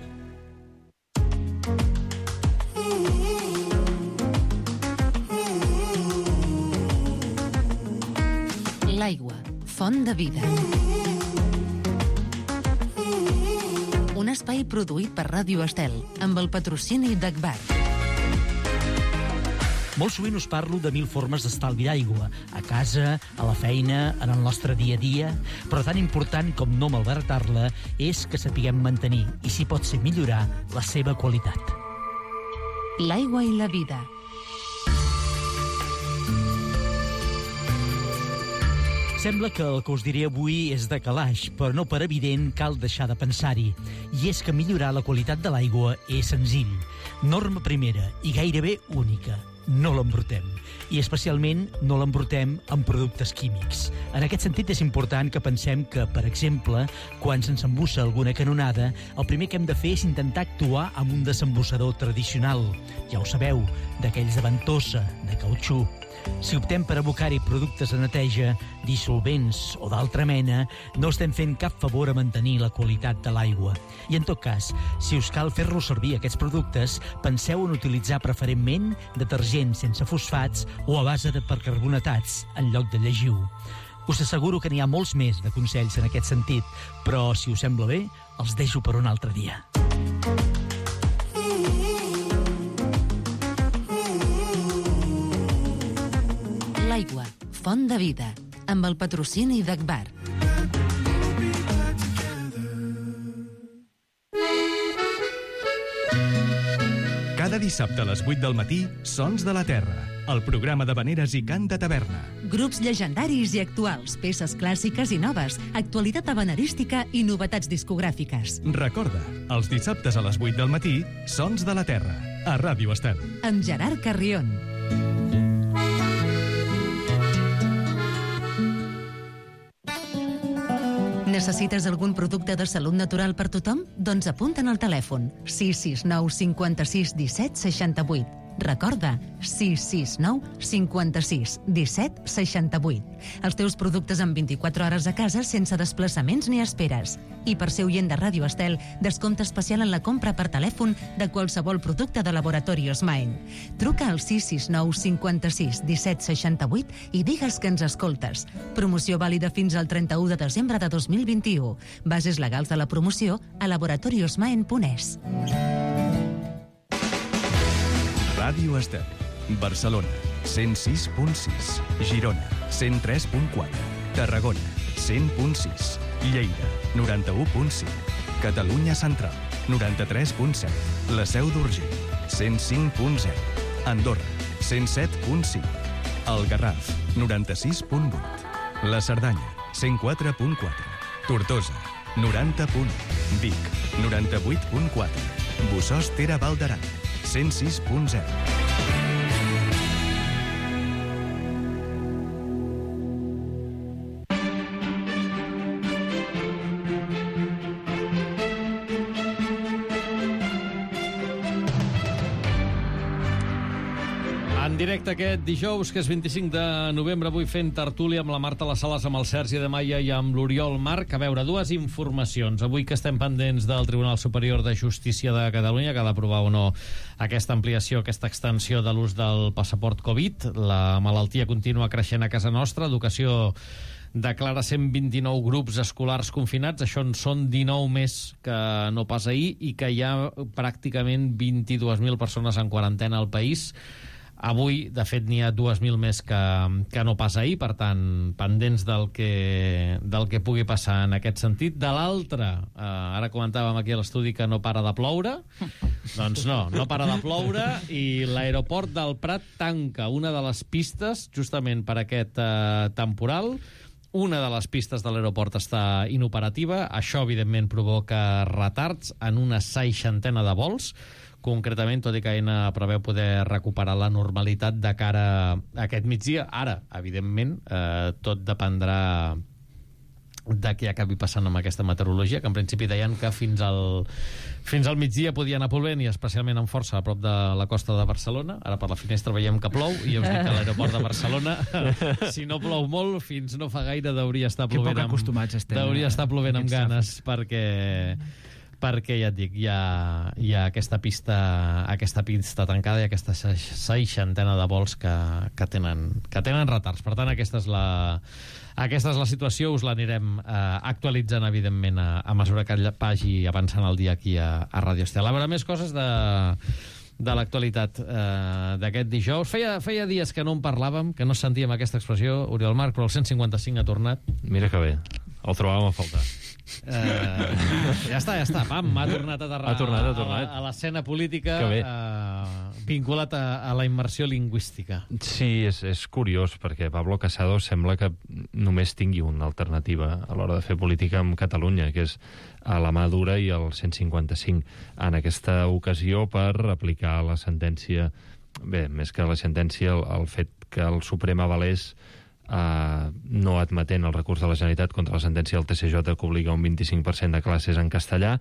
L'aigua, font de vida. Un espai produït per Ràdio Estel, amb el patrocini d'Agbar. Molt sovint us parlo de mil formes d'estalvi d'aigua, a casa, a la feina, en el nostre dia a dia, però tan important com no malbaratar-la és que sapiguem mantenir, i si pot ser millorar, la seva qualitat. L'aigua i la vida. Sembla que el que us diré avui és de calaix, però no per evident cal deixar de pensar-hi. I és que millorar la qualitat de l'aigua és senzill. Norma primera i gairebé única. No l'embrutem. I especialment no l'embrutem amb productes químics. En aquest sentit és important que pensem que, per exemple, quan se'ns embussa alguna canonada, el primer que hem de fer és intentar actuar amb un desembussador tradicional. Ja ho sabeu, d'aquells de ventosa, de cautxú. Si optem per abocar-hi productes de neteja, dissolvents o d'altra mena, no estem fent cap favor a mantenir la qualitat de l'aigua. I en tot cas, si us cal fer-los servir aquests productes, penseu en utilitzar preferentment detergents sense fosfats o a base de percarbonatats, en lloc de llegiu. Us asseguro que n'hi ha molts més de consells en aquest sentit, però, si us sembla bé, els deixo per un altre dia. L'aigua, font de vida, amb el patrocini d'Agbar. Cada dissabte a les vuit del matí, Sons de la Terra, el programa de veneres i cant de taverna. Grups llegendaris i actuals, peces clàssiques i noves, actualitat habanerística i novetats discogràfiques. Recorda, els dissabtes a les vuit del matí, Sons de la Terra, a Ràdio Estel. Amb Gerard Carrion. Necessites algun producte de salut natural per tothom? Doncs apunta'n al telèfon sis sis nou cinquanta-sis disset seixanta-vuit. Recorda, sis sis nou cinquanta-sis disset seixanta-vuit. Els teus productes en vint-i-quatre hores a casa sense desplaçaments ni esperes. I per ser oient de Ràdio Estel, descompte especial en la compra per telèfon de qualsevol producte de Laboratori Osmaen. Truca al sis sis nou cinquanta-sis disset seixanta-vuit i digues que ens escoltes. Promoció vàlida fins al trenta-u de desembre de dos mil vint-i-u. Bases legals de la promoció a laboratori osmaen punt es. Ràdio Estel, Barcelona, cent sis punt sis, Girona, cent tres punt quatre, Tarragona, cent punt sis, Lleida, noranta-u punt cinc, Catalunya Central, noranta-tres punt set, La Seu d'Urgell, cent cinc punt zero, Andorra, cent set punt cinc, El Garraf, noranta-sis punt vuit, La Cerdanya, cent quatre punt quatre, Tortosa, noranta punt u, Vic, noranta-vuit punt quatre, Bossòst Tere Val d'Aran, cent sis punt zero. En directe aquest dijous, que és vint-i-cinc de novembre, avui fent tertúlia amb la Marta Les Sales, amb el Sergi de Maia i amb l'Oriol Marc. A veure, dues informacions. Avui que estem pendents del Tribunal Superior de Justícia de Catalunya, que ha d'aprovar o no aquesta ampliació, aquesta extensió de l'ús del passaport Covid. La malaltia continua creixent a casa nostra. Educació declara cent vint-i-nou grups escolars confinats. Això en són dinou més que no pas ahir, i que hi ha pràcticament vint-i-dues mil persones en quarantena al país. Avui, de fet, n'hi ha dues mil més que, que no pas ahir, per tant, pendents del que, del que pugui passar en aquest sentit. De l'altre, eh, ara comentàvem aquí a l'estudi que no para de ploure, doncs no, no para de ploure, i l'aeroport del Prat tanca una de les pistes justament per aquest eh, temporal. Una de les pistes de l'aeroport està inoperativa. Això, evidentment, provoca retards en una seixantena de vols. Concretament, tot i que Aena preveu poder recuperar la normalitat de cara a aquest migdia. Ara, evidentment, eh, tot dependrà de què acabi passant amb aquesta meteorologia, que en principi deien que fins al, fins al migdia podia anar plovent, i especialment amb força a prop de la costa de Barcelona. Ara per la finestra veiem que plou, i ja us dic que a l'aeroport de Barcelona, si no plou molt, fins no fa gaire deuria estar plovent, amb, acostumats estem, deuria estar plovent amb ganes, perquè... perquè, ja et dic, hi ha, hi ha aquesta pista aquesta pista tancada i aquesta seixantena de vols que, que, tenen, que tenen retards. Per tant, aquesta és la, aquesta és la situació. Us l'anirem eh, actualitzant, evidentment, a, a mesura que vagi avançant el dia aquí a, a Ràdio Estel. A veure, més coses de, de l'actualitat eh, d'aquest dijous. Feia, feia dies que no en parlàvem, que no sentíem aquesta expressió, Oriol Marc, però el cent cinquanta cinc ha tornat. Mira que bé, el trobàvem a faltar. Uh, ja està, ja està, pam, ha tornat a aterrar ha tornat, ha tornat. a l'escena política, uh, vinculat a, a la immersió lingüística. Sí, és, és curiós, perquè Pablo Casado sembla que només tingui una alternativa a l'hora de fer política amb Catalunya, que és a la mà dura i el cent cinquanta cinc. En aquesta ocasió, per aplicar la sentència, bé, més que la sentència, el, el fet que el Suprem avalés Uh, no admetent el recurs de la Generalitat contra la sentència del T C J que obliga un vint-i-cinc per cent de classes en castellà.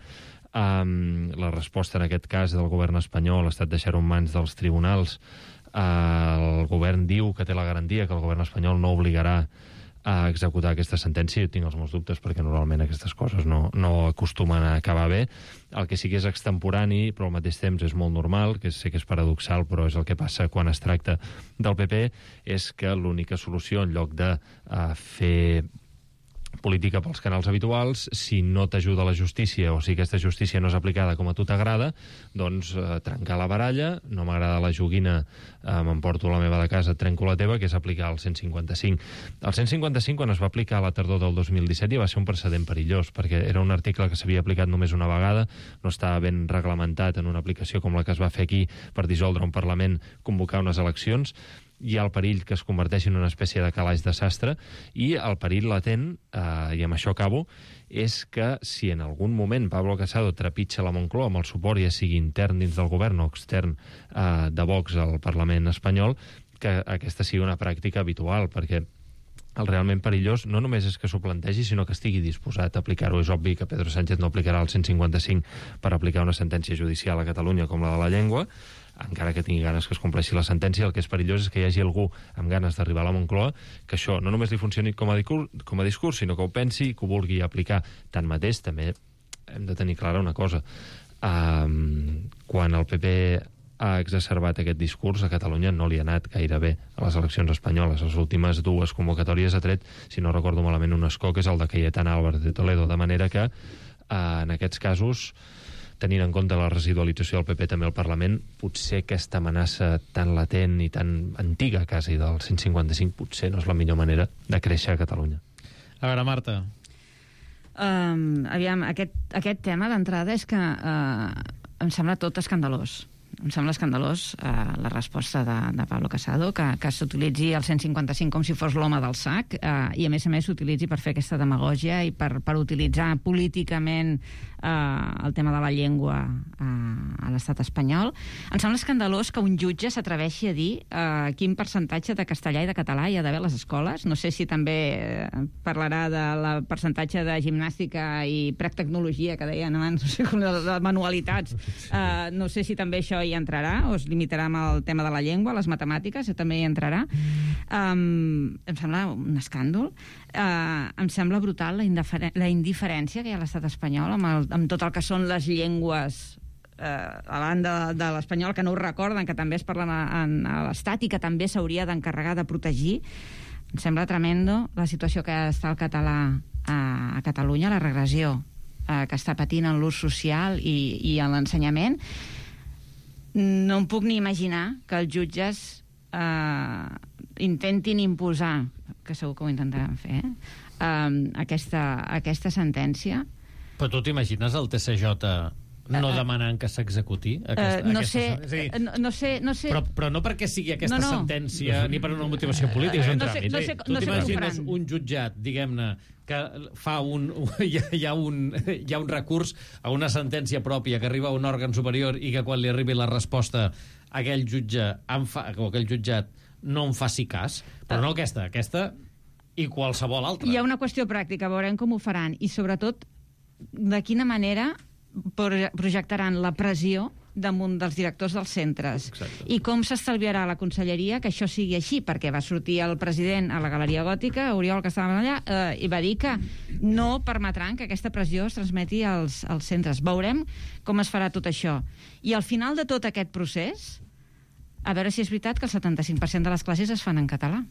Um, la resposta en aquest cas del govern espanyol ha estat deixar-ho en mans dels tribunals. Uh, el govern diu que té la garantia que el govern espanyol no obligarà a executar aquesta sentència. Jo tinc els meus dubtes, perquè normalment aquestes coses no, no acostumen a acabar bé. El que sí que és extemporani, però al mateix temps és molt normal, que sé que és paradoxal, però és el que passa quan es tracta del P P, és que l'única solució, en lloc de uh, fer política pels canals habituals, si no t'ajuda la justícia, o si aquesta justícia no és aplicada com a tu t'agrada, doncs eh, trencar la baralla, no m'agrada la joguina, eh, m'emporto la meva de casa, trenco la teva, que és aplicar el cent cinquanta cinc. El cent cinquanta cinc, quan es va aplicar a la tardor del dos mil disset, ja va ser un precedent perillós, perquè era un article que s'havia aplicat només una vegada, no estava ben reglamentat en una aplicació com la que es va fer aquí per dissoldre un Parlament, convocar unes eleccions. Hi ha el perill que es converteixi en una espècie de calaix de sastre, i el perill latent, eh, i amb això acabo, és que si en algun moment Pablo Casado trepitja la Moncloa amb el suport, ja sigui intern dins del govern o extern eh, de Vox al Parlament espanyol, que aquesta sigui una pràctica habitual, perquè el realment perillós no només és que s'ho plantegi, sinó que estigui disposat a aplicar-ho. És obvi que Pedro Sánchez no aplicarà el cent cinquanta cinc per aplicar una sentència judicial a Catalunya com la de la llengua, encara que tingui ganes que es compleixi la sentència. El que és perillós és que hi hagi algú amb ganes d'arribar a la Moncloa que això no només li funcioni com a discurs, com a discurs, sinó que ho pensi i que ho vulgui aplicar. Tanmateix, també hem de tenir clara una cosa. Um, quan el P P ha exacerbat aquest discurs, a Catalunya no li ha anat gaire bé a les eleccions espanyoles. Les últimes dues convocatòries ha tret, si no recordo malament, un escó, que és el de Cayetana Álvarez de Toledo, de manera que uh, en aquests casos, tenint en compte la residualització del P P també al Parlament, potser aquesta amenaça tan latent i tan antiga, quasi, del cent cinquanta cinc, potser no és la millor manera de créixer a Catalunya. A veure, Marta. Um, aviam, aquest, aquest tema d'entrada és que uh, em sembla tot escandalós. Em sembla escandalós eh, la resposta de, de Pablo Casado, que, que s'utilitzi el cent cinquanta cinc com si fos l'home del sac, eh, i a més a més s'utilitzi per fer aquesta demagògia i per, per utilitzar políticament eh, el tema de la llengua eh, a l'estat espanyol. Em sembla escandalós que un jutge s'atreveixi a dir eh, quin percentatge de castellà i de català hi ha d'haver a les escoles. No sé si també eh, parlarà del percentatge de gimnàstica i practecnologia que deien abans, no sé, com de, de manualitats. Eh, no sé si també això hi hi entrarà, o es limitarà amb el tema de la llengua, les matemàtiques, que també hi entrarà. Um, em sembla un escàndol. Uh, em sembla brutal la, la indiferència que hi ha a l'estat espanyol amb, el, amb tot el que són les llengües eh, a banda de, de l'espanyol, que no ho recorden, que també es parlen a, a l'estat i que també s'hauria d'encarregar de protegir. Em sembla tremendo la situació que està el català a, a Catalunya, la regressió eh, que està patint en l'ús social i, i en l'ensenyament. No em puc ni imaginar que els jutges eh, intentin imposar, que segur que ho intentaran fer, eh, eh, aquesta, aquesta sentència. Però tu t'imagines el T C J no demanant que s'executi aquesta, uh, no, aquesta sé, dir, no, no sé, no sé... Però, però no perquè sigui aquesta no, no. sentència ni per una motivació política, és un no sé, tràmit. no sé, tu no sé t'imagines un jutjat, diguem-ne, que fa un, hi ha, hi, ha un, hi ha un recurs a una sentència pròpia que arriba a un òrgan superior i que quan li arribi la resposta aquell jutge en fa, o aquell jutjat no en faci cas, però no aquesta, aquesta i qualsevol altra. Hi ha una qüestió pràctica, veurem com ho faran, i sobretot de quina manera projectaran la pressió damunt dels directors dels centres. Exacte. I com s'estalviarà la conselleria que això sigui així, perquè va sortir el president a la Galeria Gòtica, Oriol, que estava allà, eh, i va dir que no permetran que aquesta pressió es transmeti als, als centres. Veurem com es farà tot això. I al final de tot aquest procés, a veure si és veritat que el setanta-cinc per cent de les classes es fan en català.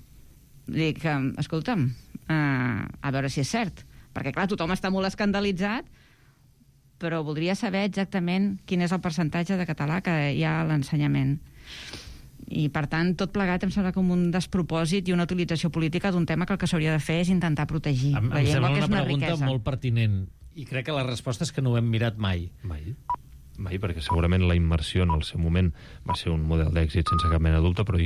Dic, escolta'm, eh, a veure si és cert. Perquè, clar, tothom està molt escandalitzat, però voldria saber exactament quin és el percentatge de català que hi ha a l'ensenyament. I, per tant, tot plegat em sembla com un despropòsit i una utilització política d'un tema que el que s'hauria de fer és intentar protegir em, la em llengua, que és una riquesa. Em sembla una pregunta molt pertinent, i crec que la resposta és que no ho hem mirat mai. Mai. Mai, perquè segurament la immersió en el seu moment va ser un model d'èxit sense cap mena de dubte, però